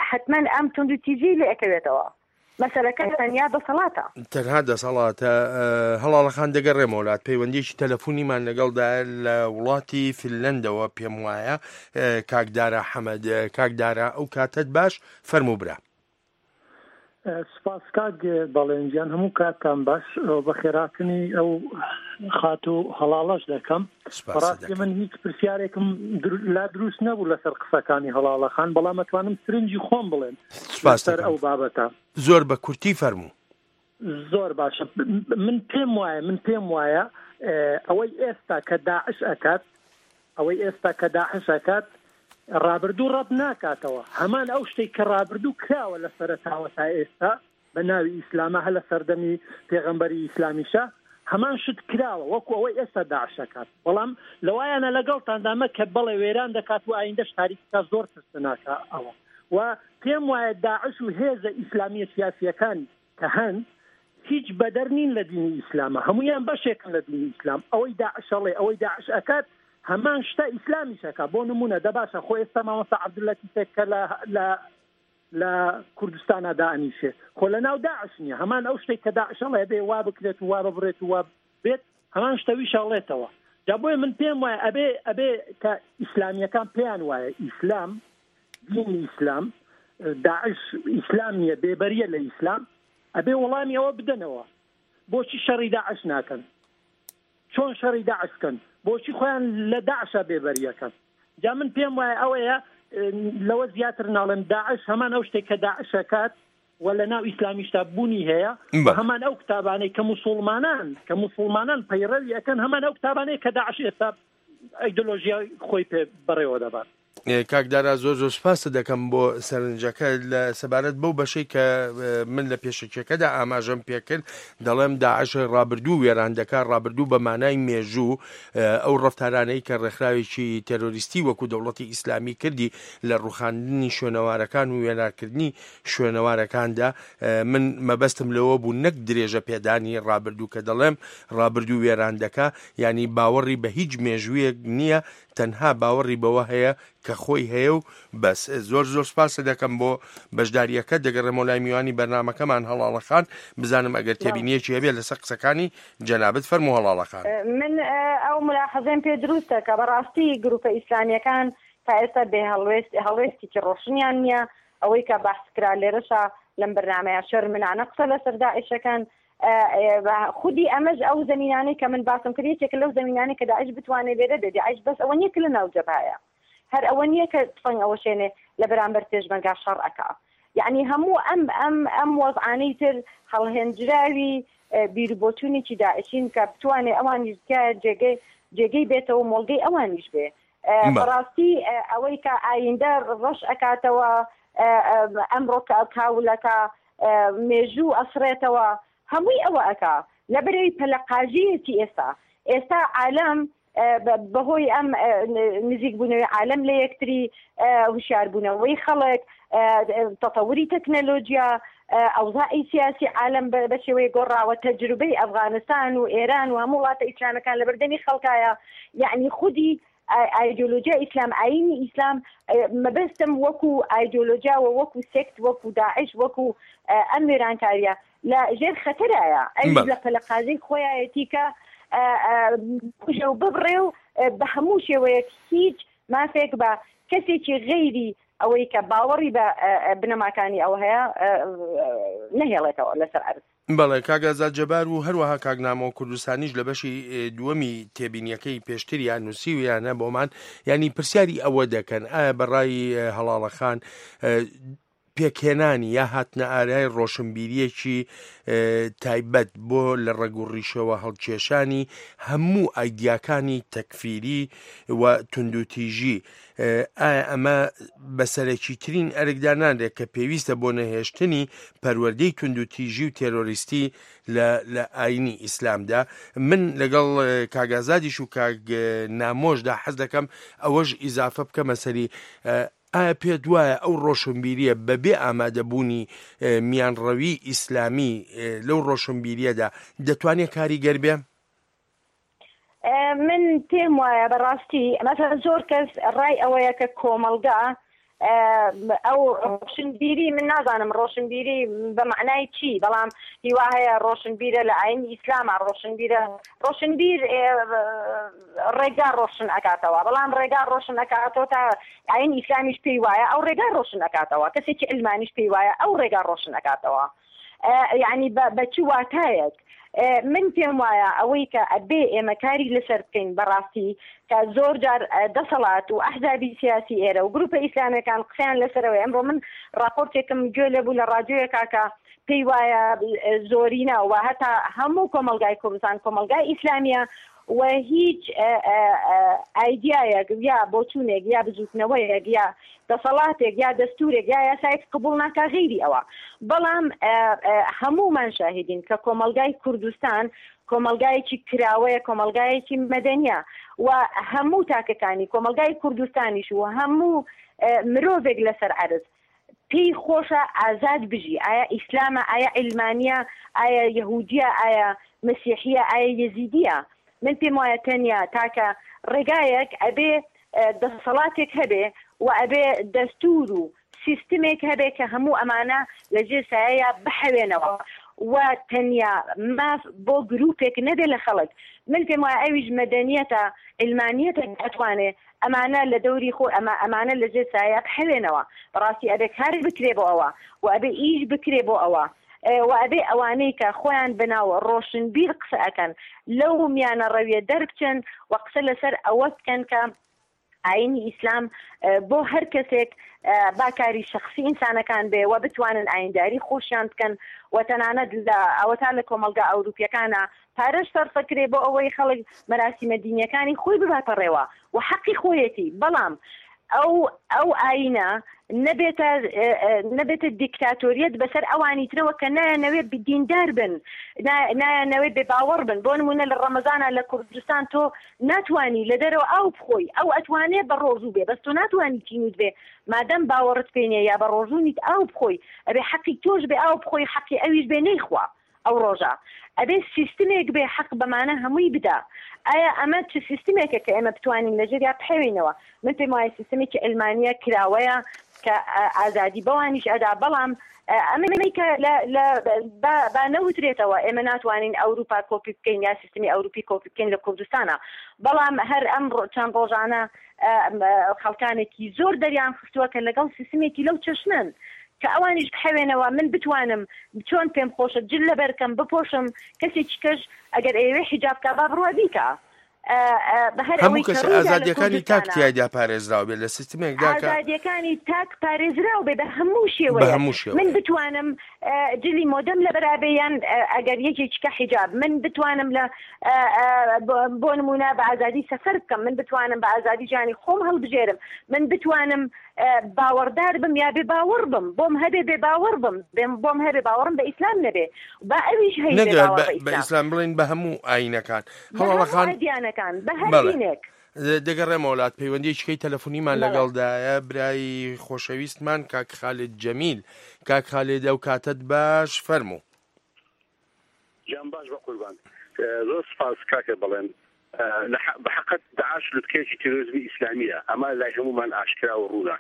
حتمما ئەم توندوتیژی لێ ئەکەوێتەوە. مەسەلەکە تەنیا دەسەڵاتە. تەنها دەسەڵاتە. هەڵاڵەخان دەگەڕێمەوە لات، پەیوەندیەکی تەلەفۆنیمان لەگەڵدا لە وڵاتی فینلەندەوە پێم وایە. کاک دارا حەمەد، کاک دارا، ئەو کاتت باش، فەرموو برا. سپاس کاک بەڵێنجیان، هەموو کاتتان باش. بە خێراتنی ئەو خاتوو هەڵاڵەش دەکەم. بەڕاستی من هیچ پرسیارێکم لا دروست نەبوو لەسەر قسەکانی هەڵاڵەخان، بەڵام ئەتوانم سرنجی خۆم بڵێم لەسەر ئەو بابەتە. زۆر بە کورتی فەرموو. زۆر باشە. من پێم وایە من پێم وایە ئەوەی ئێستا کە داعش ئەکات، ئەوەی ئێستا کە داعش ئەکات، ڕابردوو ڕەت ناکاتەوە. هەمان ئەو شتێک کە ڕابردوو کراوە لە سەرەتاوە تا ئێستا بە ناوی ئیسلامە، هە لە سەردەمی پێغەمبەری ئیسلامیشە هەمان شت کراوە وەکو ئەوەی ئێستا داعش ئەکات. بەڵام لەوایانە لەگەڵتاندا مە کە بەڵێ وێران دەکات و ئایندەش تاریکەکە زۆر ترسناکە ئەوە. و پێم وایە داعش و هێزە ئیسلامیە سیاسیەکان کە هەن هیچ بەدەر نین لە دینی ئیسلامە، هەمویان بەشێکن لە دینی ئیسلام. ئەوەی داعش ئەڵێ، ئەوەی داعش ئەکات هەمان شتە ئیسلامیش ئەکا. بۆ نمونە دە باشە خۆ ئێستا مامۆستا عەبدولەتیفێک کە لە لە لە کوردستانا دائەنیشێ خۆ لە ناو داعش نییە. هەمان ئەو شتێک کە داعش ئەڵێ بێ وا بکرێت و وا ببرێت و وا بێت، هەمان شتەویش ئەڵێتەوە. جا بۆیە من پێم وایە ئەبێ ئەبێ کە ئیسلامیەکان پێیان وایە ئیسلام دینی ئیسلام، داعش ئیسلام نییە، بێبەریە لە ئیسلام، ئەبێ وەڵامی ئەوە بدەنەوە. بۆچی شەڕی داعش ناکەن؟ چۆن شەڕی داعش بکەن؟ بۆچی خۆیان لە داعشە بێبەریەکەن؟ جا من پێم وایە ئەوەیە، ئە، لەوە زیاتر ناڵێم. داعش هەمان ئەو شتێک کە داعشە کات و لە ناو ئیسلامیشتا بوونی هەیە. بە. هەمان ئەو کتابانەی کە موسڵمانان، کە موسڵمانان پەیڕەوی ئەەکەن، هەمان ئەو کتابانەی کە داعش ئێستا ئەیدۆلۆژیای خۆی پێ بەڕێوە دەبات. ئێ، کاک دارا، زۆر زۆر سپاست دەکەم بۆ سەرنجەکە. لە سەبارەت بەو بەشەی کە، ئێ، من لە پێشەکیەکەدا ئاماژەم پێکرد، دەڵێم داعش ڕابردوو وێران دەکا، ڕابردوو بە مانای مێژوو، ئێ، ئەو ڕەفتارانەی کە ڕێکخراوێکی تێرۆریستی وەکو دەوڵەتی ئیسلامی کردی لە ڕوخاندنی شوێنەوارەکان و وێرانکردنی شوێنەوارەکاندا، ئێ، من مەبەستم لەوە بوو، نەک درێژە پێدانی ڕابردوو، کە دەڵێم ڕابردوو وێران دەکا، یعنی باوەڕی بە هیچ مێژوویەک نییە، تەنها باوەڕی بەوە هەیە کە خۆی هەیە و بەس. زۆر زۆر سپاست دەکەم بۆ بەشداریەکە. دەگەڕێمەوە لای میوانی بەرنامەکەمان، هەڵاڵەخان، بزانم ئەگەر بەڵێ. تێبینیەکی هەبێ لەسەر قسەکانی جەنابەت، فەرموو هەڵاڵەخان. من، ئە، ئەو ملاحەزەم پێ دروستە کە بەڕاستی گروپە ئیسلامیەکان تا ئێستا بێ هەڵوێست-، هەڵوێستێکی ڕۆشنیان نییە. ئەوەی کە بەحس کرا لێرەشا لەم بەرنامەیە شەرمنانە قسە لەسەر داعشەکەن. ئە، ئە، بە خودی ئەمەش ئەو زەمینانەی کە من باسم کرد، یەکێکە لەو زەمینانەی کە داعش بتوانێت لێرە بێ. داعش بەس ئەوە نییە کە لە ناو جەبهەیە، هەر ئەوە نییە کە تفەنگ ئەوەشێنێ لە بەرامبەر پێشمەرگا شەڕ ئەکا. یعنی هەموو ئەم، ئەم، ئەم وەزعانەی تر هەڵهێنجراوی، ئە، بیربۆچوونێکی داعشین کە بتوانێ ئەوانیش بکە جێگەی، جێگەی بێتەوە، مۆڵگەی ئەوانیش بێ. ئە، بە. بەڕاستی، ئە، ئەوەی کە ئایندە ڕەش ئەکاتەوە، ئە، ئە، ئەمڕۆ کە کاولەکە، ئە، مێژوو ئەسڕێتەوە، هەمووی ئەوە ئەکا لە بەرەوی پەلەقاژیەتی ئێستا. ئێستا عالەم، ئە، بە-، بەهۆی ئەم، ئە، ن-، نزیک بوونەوەی عالەم لە یەکتری، ئە، هوشیاربوونەوەی خەڵک، ئە، تەتەوری تەکنەلۆجیا، ئە، ئەوزاعی سیاسی عالەم بە، بە شێوەیە گۆڕاوە، تەجروبەی ئەفغانستان و ئێران و هەموو وڵاتە ئیسلامەکان لە بەردەمی خەڵکایە. یعنی خودی ئای-، ئایدیۆلۆژیا ئیسلام، ئاینی ئیسلام، ئە، مەبەستم وەکو ئایدیۆلۆژیا و وەکو سێکت، وەکو داعش، وەکو، ئە، ئەم وێرانکاریە لە ژێر خەتەرایە. ئەویش بەڵێ. لە پەلەقازی خۆیایەتی کە، ئە، ئە، بکوژێ و ببڕێ و، ئە، بە هەموو شێوەیەک هیچ مافێک بە کەسێکی غەیری ئەوەی کە باوەڕی بە، ئە، ئە، بنەماکانی ئەو هەیە، ئە، ئە، نەهێڵێتەوە لەسەر عەرز. بەڵێ، کاک ئازاد جەبار و هەروەها کاک نامۆ کوردستانیش لە بەشی، ئێ، دووەمی تێبینیەکەی پێشتریان نووسیویانە بۆمان، یعنی پرسیاری ئەوە دەکەن، ئایا بەڕای، ئێ، هەڵاڵەخان، ئێ، پێکهێنانی یا هاتنە ئارای ڕۆشنبیریەکی، ئێ، تایبەت بۆ لە ڕەگ و ڕیشەوە هەڵکێشانی هەموو ئایدیاکانی تەکفیری و توندوتیژی، ئێ، ئایا ئەمە بە سەرەکیترین ئەرکدا نانرێت کە پێویستە بۆ نەهێشتنی پەروەردەی توندوتیژی و تێرۆریستی لە، لە ئاینی ئیسلامدا؟ من لەگەڵ، ئێ، کاک ئازادیش و کاک، ئێ، نامۆشدا حەز دەکەم ئەوەش ئیزافە بکەمە سەری، ئێ، ئایا پێت وایە ئەو ڕۆشنبیریە بەبێ ئامادەبوونی، ئێ، میانڕەوی ئیسلامی، ئێ، لەو ڕۆشنبیریەدا دەتوانێت کاریگەر بێ؟ ئێ، من پێم وایە بەڕاستی، مەسەلەن زۆر کەس ڕای ئەوەیە کە کۆمەڵگا، ئێ، ئەو ڕۆشنبیری، من نازانم ڕۆشنبیری بە معنای چی، بەڵام هیوا هەیە ڕۆشنبیرە لە ئاینی ئیسلامە، ڕۆشنبیرە، ڕۆشنبیر، ئێ، ڕێگا ڕۆشن ئەکاتەوە، بەڵام ڕێگا ڕۆشن ئەکاتەوە تا ئاین ئیسلامیش پێی وایە ئەو ڕێگا ڕۆشن ئەکاتەوە، کەسێکی علمانیش پێی وایە ئەو ڕێگا ڕۆشن ئەکاتەوە. ئێ، یعنی بە، بە چ واتایەک؟ ئێ، من پێم وایە ئەوەی کە ئەبێ ئێمە کاری لەسەر بکەین بەڕاستی، کە زۆر جار، ئێ، دەسەڵات و ئەحزابی سیاسی ئێرە و گروپە ئیسلامیەکان قسەیان لەسەرەوەی. ئەمڕۆ من راپۆرتێکم گوێ لێبوو لە ڕادیۆیەکا کە پێی وایە، ئێ، زۆرینە و هەتا هەموو کۆمەلگای کوردستان کۆمەلگای ئیسلامیە و هیچ، ئێ، ئێ، ئێ، ئایدیایەک یا بۆچوونێک یا بزوتنەوەیەک یا دەسەڵاتێک یا دەستورێک یا یاسایەک قبول ناکا غیری ئەوە. بەڵام، ئێ، ئێ، هەموومان شاهیدین کە کۆمەلگای کوردستان کۆمەلگایەکی کراوەیە، کۆمەلگایەکی مەدەنیە و هەموو تاکەکانی کۆمەلگای کوردستانیش و هەموو، ئێ، مرۆڤێک لەسەر عەرز پێی خۆشە ئازاد بژی. ئایا ئیسلامە؟ ئایا عیلمانیە؟ ئایا یەهودیە؟ ئایا مەسیحیە؟ ئایا یەزیدیە؟ من پێم وایە تەنیا تاکە ڕێگایەک ئەبێ، ئێ، دەسەڵاتێک هەبێ و ئەبێ دەستور و سیستمێک هەبێ کە هەموو ئەمانە لە ژێر سایەیە بحەوێنەوە و تەنیا ماف بۆ گروپێک نەبێ لە خەڵک. من پێم وایە ئەویش مەدەنیەتە، عیلمانیەتە کە ئەتوانێ ئەمانە لە دەوری خۆ، ئەمە، ئەمانە لە ژێر سایە بحەوێنەوە. بەڕاستی ئەبێ کار بکرێ بۆ ئەوە و ئەبێ ئیش بکرێ بۆ ئەوە. و ئەبێ ئەوانەی کە خۆیان بە ناو ڕۆشنبیر قسە ئەکەن، لەو میانە ڕەویە دەربچن و قسە لەسەر ئەوە بکەن کە ئاینی ئیسلام، ئە، بۆ هەر کەسێک، ئە، با کاری شەخسی ئینسانەکان بێ و بتوانن ئاینداری خۆشیان بکەن و تەنانەت لە ئەوەتا لە کۆمەلگا ئەوروپیەکانە پارەش سەرفەکرێ بۆ ئەوەی خەڵک مەراسیمە دینیەکانی خۆی بباتە ڕێوە و حەقی خۆیەتی. بەڵام ئەو، ئەو ئاینە نەبێتە، ئە، ئە، نەبێتە دیکتاتۆریەت بەسەر ئەوانی ترەوە کە نایەنەوێ دیندار بن، نا-، نایەنەوێ بێ باوەڕ بن. بۆ نمونە لە ڕەمەزانە لە کوردستان تۆ ناتوانی لە دەرەوە ئاو بخۆی، ئەو ئەتوانێ بە ڕۆژوو بێ، بەس تۆ ناتوانی چینوت بێ. مادەم باوەڕت پێ نیە یا بە ڕۆژوو نیت ئاو بخۆی، ئەبێ حەقی تۆش بێ ئاو بخۆی، حەقی ئەویش بێ نەیخوا ئەو ڕۆژە. ئەبێ سیستمێک بێ حەق بەمانە هەمووی بدا. ئایا ئەمە چ سیستمێکە کە ئێمە بتوانین لەژێریا بحەوێینەوە؟ من پێم وایە سیستمێکی ئەلمانیە کراوەیە کە، ئە، ئازادی بەوانیش ئەدا، بەڵام، ئە، ئەمەی کە لە، لە، با، با نەوترێتەوە ئێمە ناتوانین ئەوروپا کۆپی بکەین یا سیستمی ئەوروپی کۆپی بکەین لە کوردستانە. بەڵام هەر ئەم ڕۆ-، چەند ڕۆژانە، ئە، ئە، خەڵکانێکی زۆر دەریان خستووە کە لەگەڵ سیستمێکی لەو چەشنن کە ئەوانیش بحەوێنەوە من بتوانم چۆن پێم خۆشە جل لە بەرکەم بپۆشم، کەسێکی کەش ئەگەر ئەیەوێ حیجاب کا با بڕوا بیکا. ئە، ئە، بە هەر هەموو ئەوەی کەس کە ڕوویدا لە ئازادیەکانی تاک کوردستانە. تیایدا پارێزراو بێت لە سیستمێکدا کە ئازادیەکانی تاک پارێزراو بێ بە هەموو شێوەیە. بە هەموو شێوەیە. من بتوانم، ئە، جلی مۆدەم لە بەرابێ یان، ئە، ئەگەر یەکێکی کە حیجاب، من بتوانم لە، ئە، ئە، بۆ، بۆ نمونە بە ئازادی سەفەر بکەم، من بتوانم بە ئازادی ژیانی خۆم هەڵبژێرم، من بتوانم، ئە، باوەڕدار بم یا بێ باوەڕ بم، بۆم هەبێ بێ باوەڕ بم، بێم، بۆم هەبێ باوەڕم بە ئیسلام نەبێ، با ئەویش هەیە بێ نەگەر باوەڕ بە، بە بە ئیسلام. ئیسلام بڵێن بە هەموو ئاینەکان. بە هەموو هەواڵەکان. ئەدیانەکان، بە هەر بەڵێ. دینێک. دەگەڕێمە وڵات، پەیوەندیەکی تەلەفۆنیمان بەڵێ. لەگەڵدایە، برای خۆشەویستمان کاک خالد جەمیل. کاک خالد، ئەو کاتت باش، فەرموو. جان باش بە قوربان. ئە، زۆر سپاس کاکە بەڵێن. ئە، لە حە-، بە حەقەت داعش لوتکەیەکی تیرۆریزمی ئیسلامیە. ئەمە لای هەمومان ئاشکرا و ڕوونە.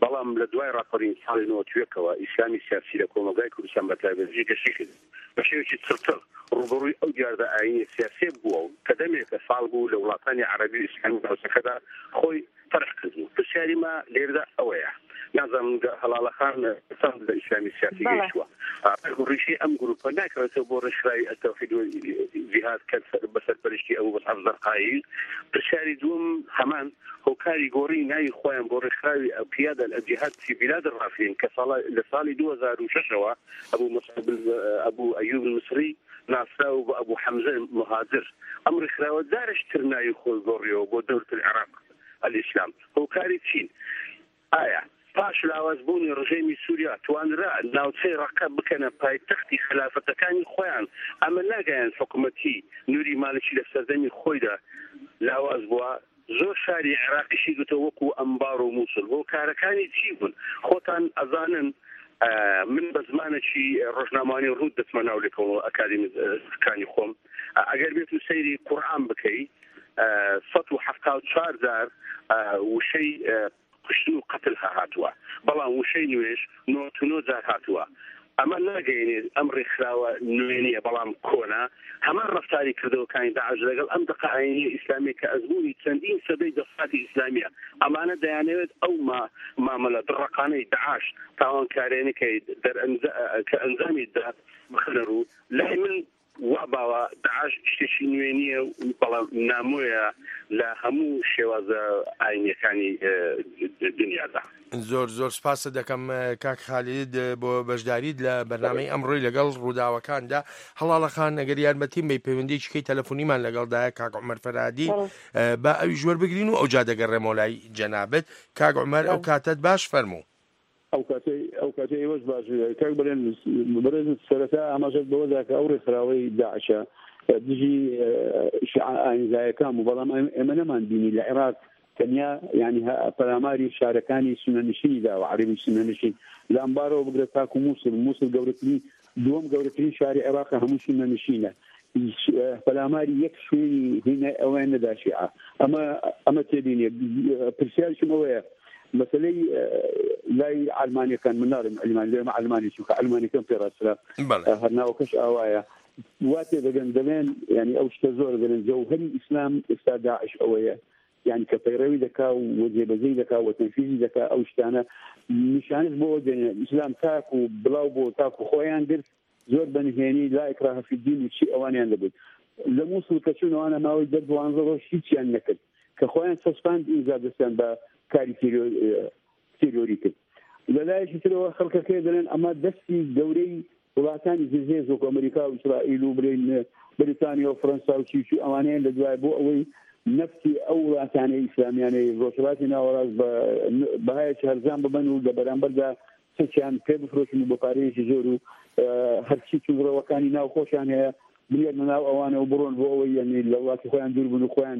بەڵام لە دوای ڕاپەڕین ساڵی نەوەد و یەکەوە ئیسلامی سیاسی لە کۆمەلگای کوردستان بە تایبەت جێگەشەی کرد. بە شێوەیەکی چڕتر ڕوبەڕووی ئەو دیاردە ئاینیە سیاسیە بووە و کە دەمێکە ساڵ بوو لە وڵاتانی عەرەبی و ئیسلامی ناوچەکەدا خۆی تەرح کردبوو. پرسیاری ما لێرەدا ئەوەیە، نازانم گە-، هەڵاڵەخان چەند لە ئیسلامی سیاسی بەڵێ. گەیشتووە. ئا، ڕیشەی ئەم گروپە ناکەوێتەوە بۆ ڕێکخراوی ئەلتەوحید و جیهاد کە سەر-، بە سەرپەرشتی ئەبو مصعب زەرقایی. پرسیاری دووەم هەمان هۆکاری گۆڕی ناوی خۆیان بۆ ڕێکخراوی قیادە الجهاد فی بلاد الرافدین کە ساڵا-، لە ساڵی دوو هەزار و شەشەوە ئەبو مصعب، ئەبو ئەیوب المصری ناسراو بە ئەبو حەمزە مهاجر. ئەم ڕێکخراوە جارش تر ناوی خۆی گۆڕیەوە بۆ دەولەت العراق الئیسلام. هۆکاری چین؟ ئایا پاش لاوازبوونی ڕژێمی سووریا توانرا ناوچەی ڕەقە بکەنە پایتەختی خەلافەتەکانی خۆیان؟ ئەمە ناگەیان حکوومەتی نوری مالکی لە سەردەمی خۆیدا لاواز بووە. زۆر شاری عێراقیشی گوتە وەکو ئەمبار و مووسڵ. هۆکارەکانی چی بوون؟ خۆتان ئەزانن، ئە، من بە زمانێکی ڕۆژنامانی ڕوود دەچمە ناو لێکۆڵ ئەکادیمیەکانی خۆم. ئە، ئەگەر بێت و سەیری قورئان بکەی، ئە، سەد و حەفتا و چوار جار، ئە، وشەی، ئە، کوشتن و قەتل هاتووە، بەڵام وشەی نوێژ نۆ و نۆ جار هاتووە. ئەمە ناگەیەنێت ئەم ڕێکخراوە نوێنیە، بەڵام کۆنە. هەمان ڕەفتاری کردەوەکانی داعش لەگەڵ ئەم دەقە ئاینیە ئیسلامیە کە ئەزموونی چەندین سەدەی دەسەڵاتی ئیسلامیە. ئەمانە دەیانەوێت ئەو ما-، مامەلە دڕەقانەی داعش تاوانکارێنەکەی دەرئەنجا-، کە ئەنجامی دەدات بخەنە ڕوو. لای من وا باوە داعش شتێکی نوێ نییە و بەڵام نامۆیە لە هەموو شێوازە ئاینیەکانی، ئە، دنیادا. زۆر، زۆر سپاست دەکەم، ئە، کاک خالید، بۆ بەشداریت لە بەرنامەی بەڵێ. ئەمڕۆی لەگەڵ ڕووداوەکاندا. هەڵاڵەخان، ئەگەر یارمەتیم بی پەیوەندیەکی کەی تەلەفۆنیمان لەگەڵدایە، کاک عومەر فەرهادی، بەڵێ. ئە، با ئەویش وەربگرین و ئەوجا دەگەڕێمەوە لای جەنابەت. کاک عومەر، ئەو بەڵێ. کاتەت باش، فەرموو. ئەو کاتەی، ئەو کاتەی ئێوەش باش، کاک بەرێن، بەرێز سەرەتا ئاماژەت بەوەدا کە ئەو ڕێکخراوەی داعشە دژی، ئە، شیعە ئاینزایەکان بوو، بەڵام ئێمە، ئێمە نەمان بینی لە عێراق تەنیا، یعنی، هە-، پەلاماری شارەکانی سونەنشینی داوە، عەرەبی سونەنشین. لە ئەمبارەوە بگرە تاکو مووسڵ، مووسڵ گەورەترین، دووەم گەورەترین شاری عێراقە، هەموو سونەنشینە. هیچ، ئە، پەلاماری یەک شوێنی هینە ئەوەیان نەدا شیعە. ئەمە، ئەمە تێبینیە. پرسیارشم ئەوەیە، مەسەلەی، ئە، لای عەلمانیەکان، من ناڵێم عەلمانی، دەڵێم عەلمانی، چونکە عەلمانیەکان پێ ڕاسترە، بەڵێ. ئە، هەر ناوەکەش ئاوایە. وا تێ دەگەن، دەڵێن، یعنی، ئەو شتە زۆر دەڵێن، جەوهەری ئیسلام ئێستا داعش ئەوەیە، یعنی، کە پەیڕەوی دەکا و جێبەجێی دەکا و تەنفیزی دەکا، ئەو شتانە نیشانش بۆ ئەوە دێنێ، ئیسلام تاک و بڵاو بۆ تاک و خۆیان گرت، زۆر بە نهێنی، لا ئیکراهە فیددین و چی ئەوانیان دەبێت. لە موسڵ کە چوونەوانە ماوەی دە دوانزە ڕۆژ هیچیان نەکرد، کە خۆیان چەسپاند ئینجا دەستیان بە کاری تیرۆ-، تیرۆری کرد. لە لایەکی ترەوە خەڵکەکەی دەڵێن ئەمە دەستی گەورەی وڵاتانی زلهێز وەکو ئەمریکا و ئیسرائیل و بڵێن بریتانیا و فەرەنسا و چی و چی ئەوانەیە لە دوای بۆ ئەوەی نەفتی ئەو وڵاتانەی ئیسلامیانەی ڕۆژهەڵاتی ناوەڕاست بە بەهایەکی هەرزان ببەن و لە بەرامبەردا سەچیان پێ بفرۆشن و بە پارەیەکی زۆر و، ئە، هەرچی توندڕەوەکانی ناو خۆشیان هەیە بنێرنە ناو ئەوانە و بڕۆن بۆ ئەوەی، یعنی، لە وڵاتی خۆیان دوور بن و خۆیان،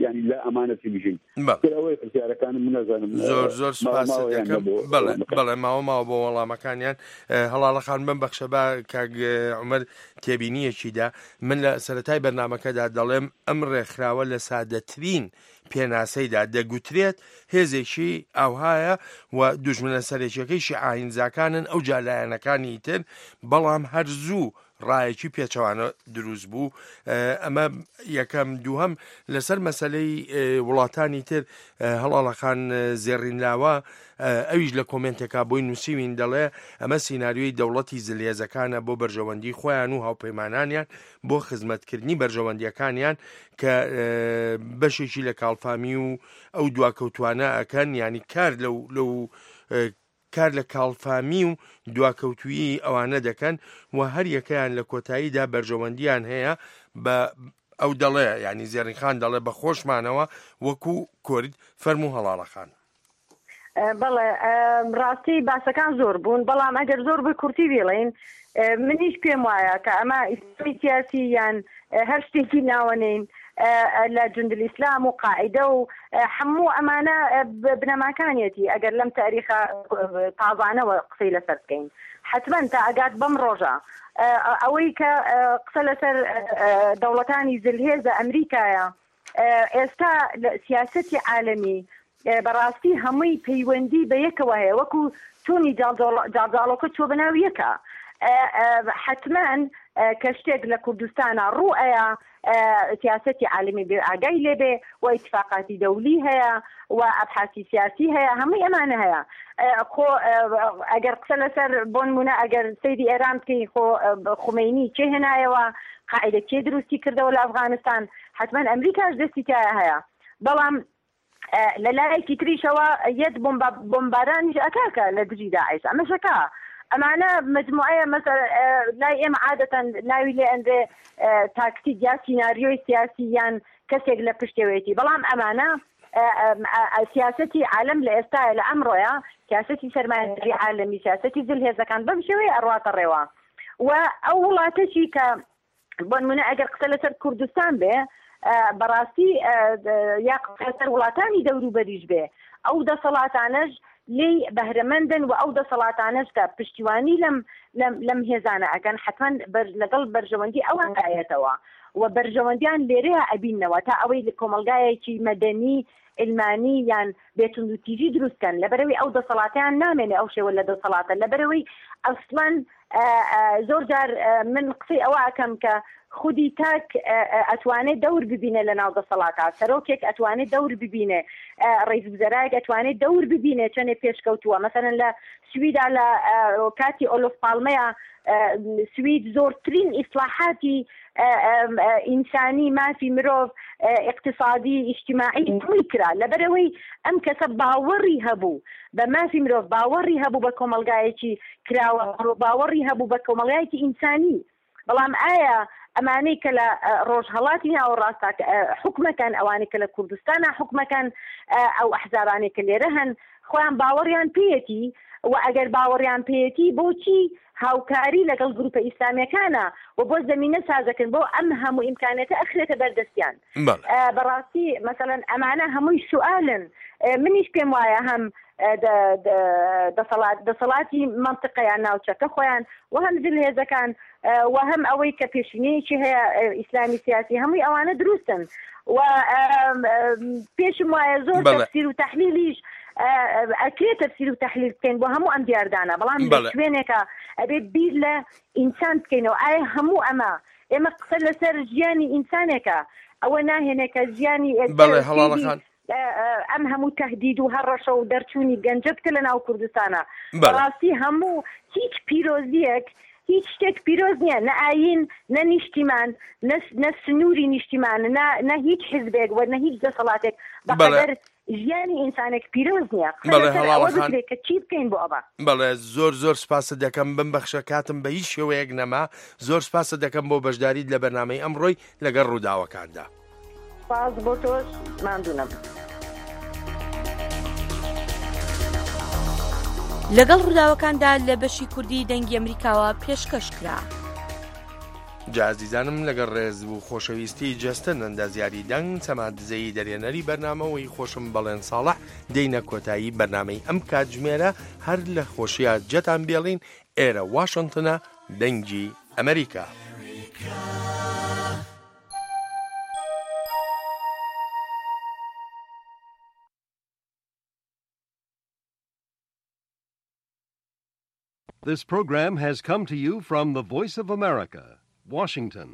یعنی، لا ئەمانەتی بژین. بەڵێ. تر ئەوەیە پرسیارەکانم، نازانم، ئە، زۆر، زۆر ماوە سپاست ماوەیان دەکەم. نەبوو بەڵێ، ئەوە بڵێم. بەڵێ، ماوە ماوە بۆ وەڵامەکانیان. ئە، هەڵاڵە خان، بم بەخشە با کاک، ئە، عومەر تێبینیەکی دا. من لە سەرەتای بەرنامەکەدا دەڵێم ئەم ڕێکخراوە لە سادەترین پێناسەیدا دەگوترێت هێزێکی ئاوهایە و دوژمنە سەرەکیەکەی شیعە هینزاکانن، ئەو جا لایەنەکانی تر، بەڵام هەر زوو ڕایەکی پێچەوانە دروست بوو. ئە، ئەمە یەکەم. دووهەم، لەسەر مەسەلەی، ئێ، وڵاتانی تر، ئە، هەڵاڵەخان، ئە، زێڕینلاوە، ئە، ئەویش لە کۆمێنتێکا بۆی نووسیوین، دەڵێ ئەمە سیناریۆی دەوڵەتی زلهێزەکانە بۆ بەرژەوەندی خۆیان و هاوپەیمانانیان، بۆ خزمەتکردنی بەرژەوەندیەکانیان کە، ئە، بەشێکی لە کاڵفامی و ئەو دواکەوتوانە ئەکەن، یعنی کار لەو، لەو، ئە، کار لە کاڵفامی و دواکەوتویی ئەوانە دەکەن و هەر یەکەیان لە کۆتاییدا بەرژەوەندیان هەیە بە ئەو دەڵێ، یعنی زێڕینخان دەڵێ بە خۆشمانەوە وەکو کورد. فەرموو هەڵاڵەخان. ئە، بەڵێ، ئە، ڕاستی باسەکان زۆر بوون، بەڵام ئەگەر زۆر بە کورتی بڵێین، ئە، منیش پێم وایە کە ئەمە ئیسلامی سیاسی یان، ئە، هەر شتێکی ناوەنین، ئە، ئە، لە جوندل ئیسلام و قاعدە و، ئە، هەموو ئەمانە، ئە، ب-، بنەماکانیەتی. ئەگەر لەم تاریخە، ئە، تازانەوە قسەی لەسەر بکەین، حتمەن تا ئەگات بەم ڕۆژە، ئە، ئەوەی کە، ئە، قسە لەسەر، ئە، ئە، دەوڵەتانی زلهێزە ئەمریکایە، ئە، ئێستا لە سیاسەتی عالەمی، ئە، بەڕاستی هەمووی پەیوەندی بە یەکەوە هەیە، وەکو چوونی جاڵجاڵ-، جاڵجاڵۆکە چووە بە ناو یەکە. ئە، ئە، حتمەن، ئە، کە شتێک لە کوردستانە ڕوو ئەیە، ئە، سیاسەتی عالەمی بێ ئاگای لێبێ و ئیتفاقاتی دەولی هەیە و ئەبحاسی سیاسی هەیە، هەمووی ئەمانە هەیە. ئە، خۆ، ئە، ئەگەر قسە لەسەر، بۆ نمونە، ئەگەر سەیری ئێران بکەین، خۆ، ئە، خومەینی کێ هێنایەوە، قاعدە کێ دروستی کردەوە لە ئەفغانستان، حتمەن ئەمریکاش دەستی تایە هەیە. بەڵام، ئە، لە لایەکی تریشەوە یەت بۆمبا-، بۆمبارانیش ئەکاکە لە دژی داعش. ئەمەشەکە ئەمانە مجموعەیە، مەسەر، ئە، لای ئێمە عادەتەن ناوی لێ ئەنرێ، ئە، تاکتیک یا سیناریۆی سیاسی یان کەسێک لە پشتێوەیەتی. بەڵام ئەمانە، ئە، ئە، ئە، سیاسەتی عالەم لە ئێستاە، لە ئەمڕۆیە، سیاسەتی سەرمایەداری عالەمی، سیاسەتی زلهێزەکان بەم شێوەیە ئەڕواتە ڕێوە. و ئەو وڵاتەشی کە، بۆ نمونە، ئەگەر قسە لەسەر کوردستان بێ، ئە، بەڕاستی، ئە، یا قسە لەسەر وڵاتانی دەوروبەریش بێ، ئەو دەسەڵاتانەش لێی بەهرەمەندن و ئەو دەسەڵاتانەش کە پشتیوانی لەم، لەم، لەم هێزانە ئەکەن، حتمەن بەر-، لەگەڵ بەرژەوەندی ئەوان دایەتەوە و بەرژەوەندیان لێرەیە ئەبیننەوە تا ئەوەی لە کۆمەلگایەکی مەدەنی، علمانی یان بێتوندوتیژی دروستکەن، لەبەرەوەی ئەو دەسەڵاتیان نامێنێ ئەو شێوە لە دەسەڵاتە، لەبەرەوەی ئەسڵەن، ئە، ئە، زۆر جار، ئە، من قسەی ئەوە ئەکەم کە خودی تاک، ئە، ئە، ئەتوانێت دەور ببینێ لە ناو دەسەڵاتا، سەرۆکێک ئەتوانێت دەور ببینێ، ئە، ڕئیس وزەرایەک ئەتوانێت دەور ببینێ، چەندێ پێشکەوتووە. مەسەلەن لە سویدا لە، ئە، کاتی ئۆلۆف پاڵمەیە، ئە، سوید زۆرترین ئیسلاحاتی، ئە، ئە، ئە، ئینسانی، مافی مرۆڤ، ئە، اقتصادی، ئیجتیماعی هەمووی کرا. لەبەرەوەی ئەم کەسە باوەڕی هەبوو بە مافی مرۆڤ، باوەڕی هەبوو بە کۆمەلگایەکی کراوە، باوەڕی هەبوو بە کۆمەلگایەکی ئینسانی. بەڵام ئایا ئەمانەی کە لە، ئە، ڕۆژهەڵاتی ناوەڕاستە، ئە، حکومەکەن، ئەوانەی کە لە کوردستانە حکومەکەن، ئە، ئەو ئەحزابانەی کە لێرە هەن، خۆیان باوەڕیان پێیەتی و ئەگەر باوەڕیان پێیەتی، بۆچی هاوکاری لەگەڵ گروپە ئیسلامیەکانە و بۆ زەمینە سازەکەن بۆ ئەم هەموو ئیمکانێتە ئەخرێتە بەردەستیان؟ بەڵێ. ئە، بەڕاستی، مەسەلەن، ئەمانە هەمووی سوالن. ئە، منیش پێم وایە هەم، ئە، دە-، دە-، دەسەڵات، دەسەڵاتی مەنتقەیان، ناوچەکە خۆیان، و هەم زلهێزەکان، ئە، و هەم ئەوەی کە پێشینەیەکی هەیە، ئە، ئیسلامی سیاسی، هەمووی ئەوانە دروستن. و، ئەم، ئەم، پێشم وایە زۆر بەڵێ. تەفسیر و تەحلیلیش، ئە، ئە، ئەکرێت تەفسیر و تەحلیل بکەین بۆ هەموو ئەم دیاردانە، بەڵام لە بەڵێ. شوێنێکە ئەبێ بیر لە ئینسان بکەینەوە. ئایا هەموو ئەمە، ئێمە قسە لەسەر ژیانی ئینسانێکە، ئەوە ناهێنێ کە ژیانی ئێستا بەڵێ، و هەڵاڵە سیدی، خان. ئە، ئە، ئەم هەموو تەهدید و هەڕەشە و دەرچوونی گەنجە بکە لە ناو کوردستانە. بەڵێ. بەڕاستی هەموو هیچ پیرۆزیەک، هیچ شتێک پیرۆز نییە، نە ئایین، نە نیشتیمان، نە، نە سنووری نیشتیمان، نە، نە هیچ حزبێک و نە هیچ دەسەڵاتێک بە بەڵێ. قەدەر ژیانی ئینسانێک پیرۆز نییە. قسە بەڵێ، لەسەر هەڵاڵە ئەوە خان. بکرێت کە چی بکەین بۆ ئەوە. بەڵێ، زۆر زۆر سپاست دەکەم، بمبەخشە کاتم بە هیچ شێوەیەک نەما. زۆر سپاست دەکەم بۆ بەشداریت لە بەرنامەی ئەمڕۆی لەگەڵ ڕووداوەکاندا. سپاس بۆ تۆش، ماندوو نەبوو. لەگەڵ ڕووداوەکاندا لە بەشی کوردی دەنگی ئەمریکاوە پێشکەش کرا. جا ئازیزانم، لەگەڵ ڕێز و خۆشەویستی جەستن ئەندازیاری دەنگ، سەما دزەیی دەرێنەری بەرنامە و هی خۆشم بەڵێن ساڵح، دێینە کۆتایی بەرنامەی ئەم کاتژمێرە. هەر لە خۆشیە جەتان بێڵین. ئێرە واشنتنە، دەنگی ئەمریکا. This program has come to you from the Voice of America, Washington.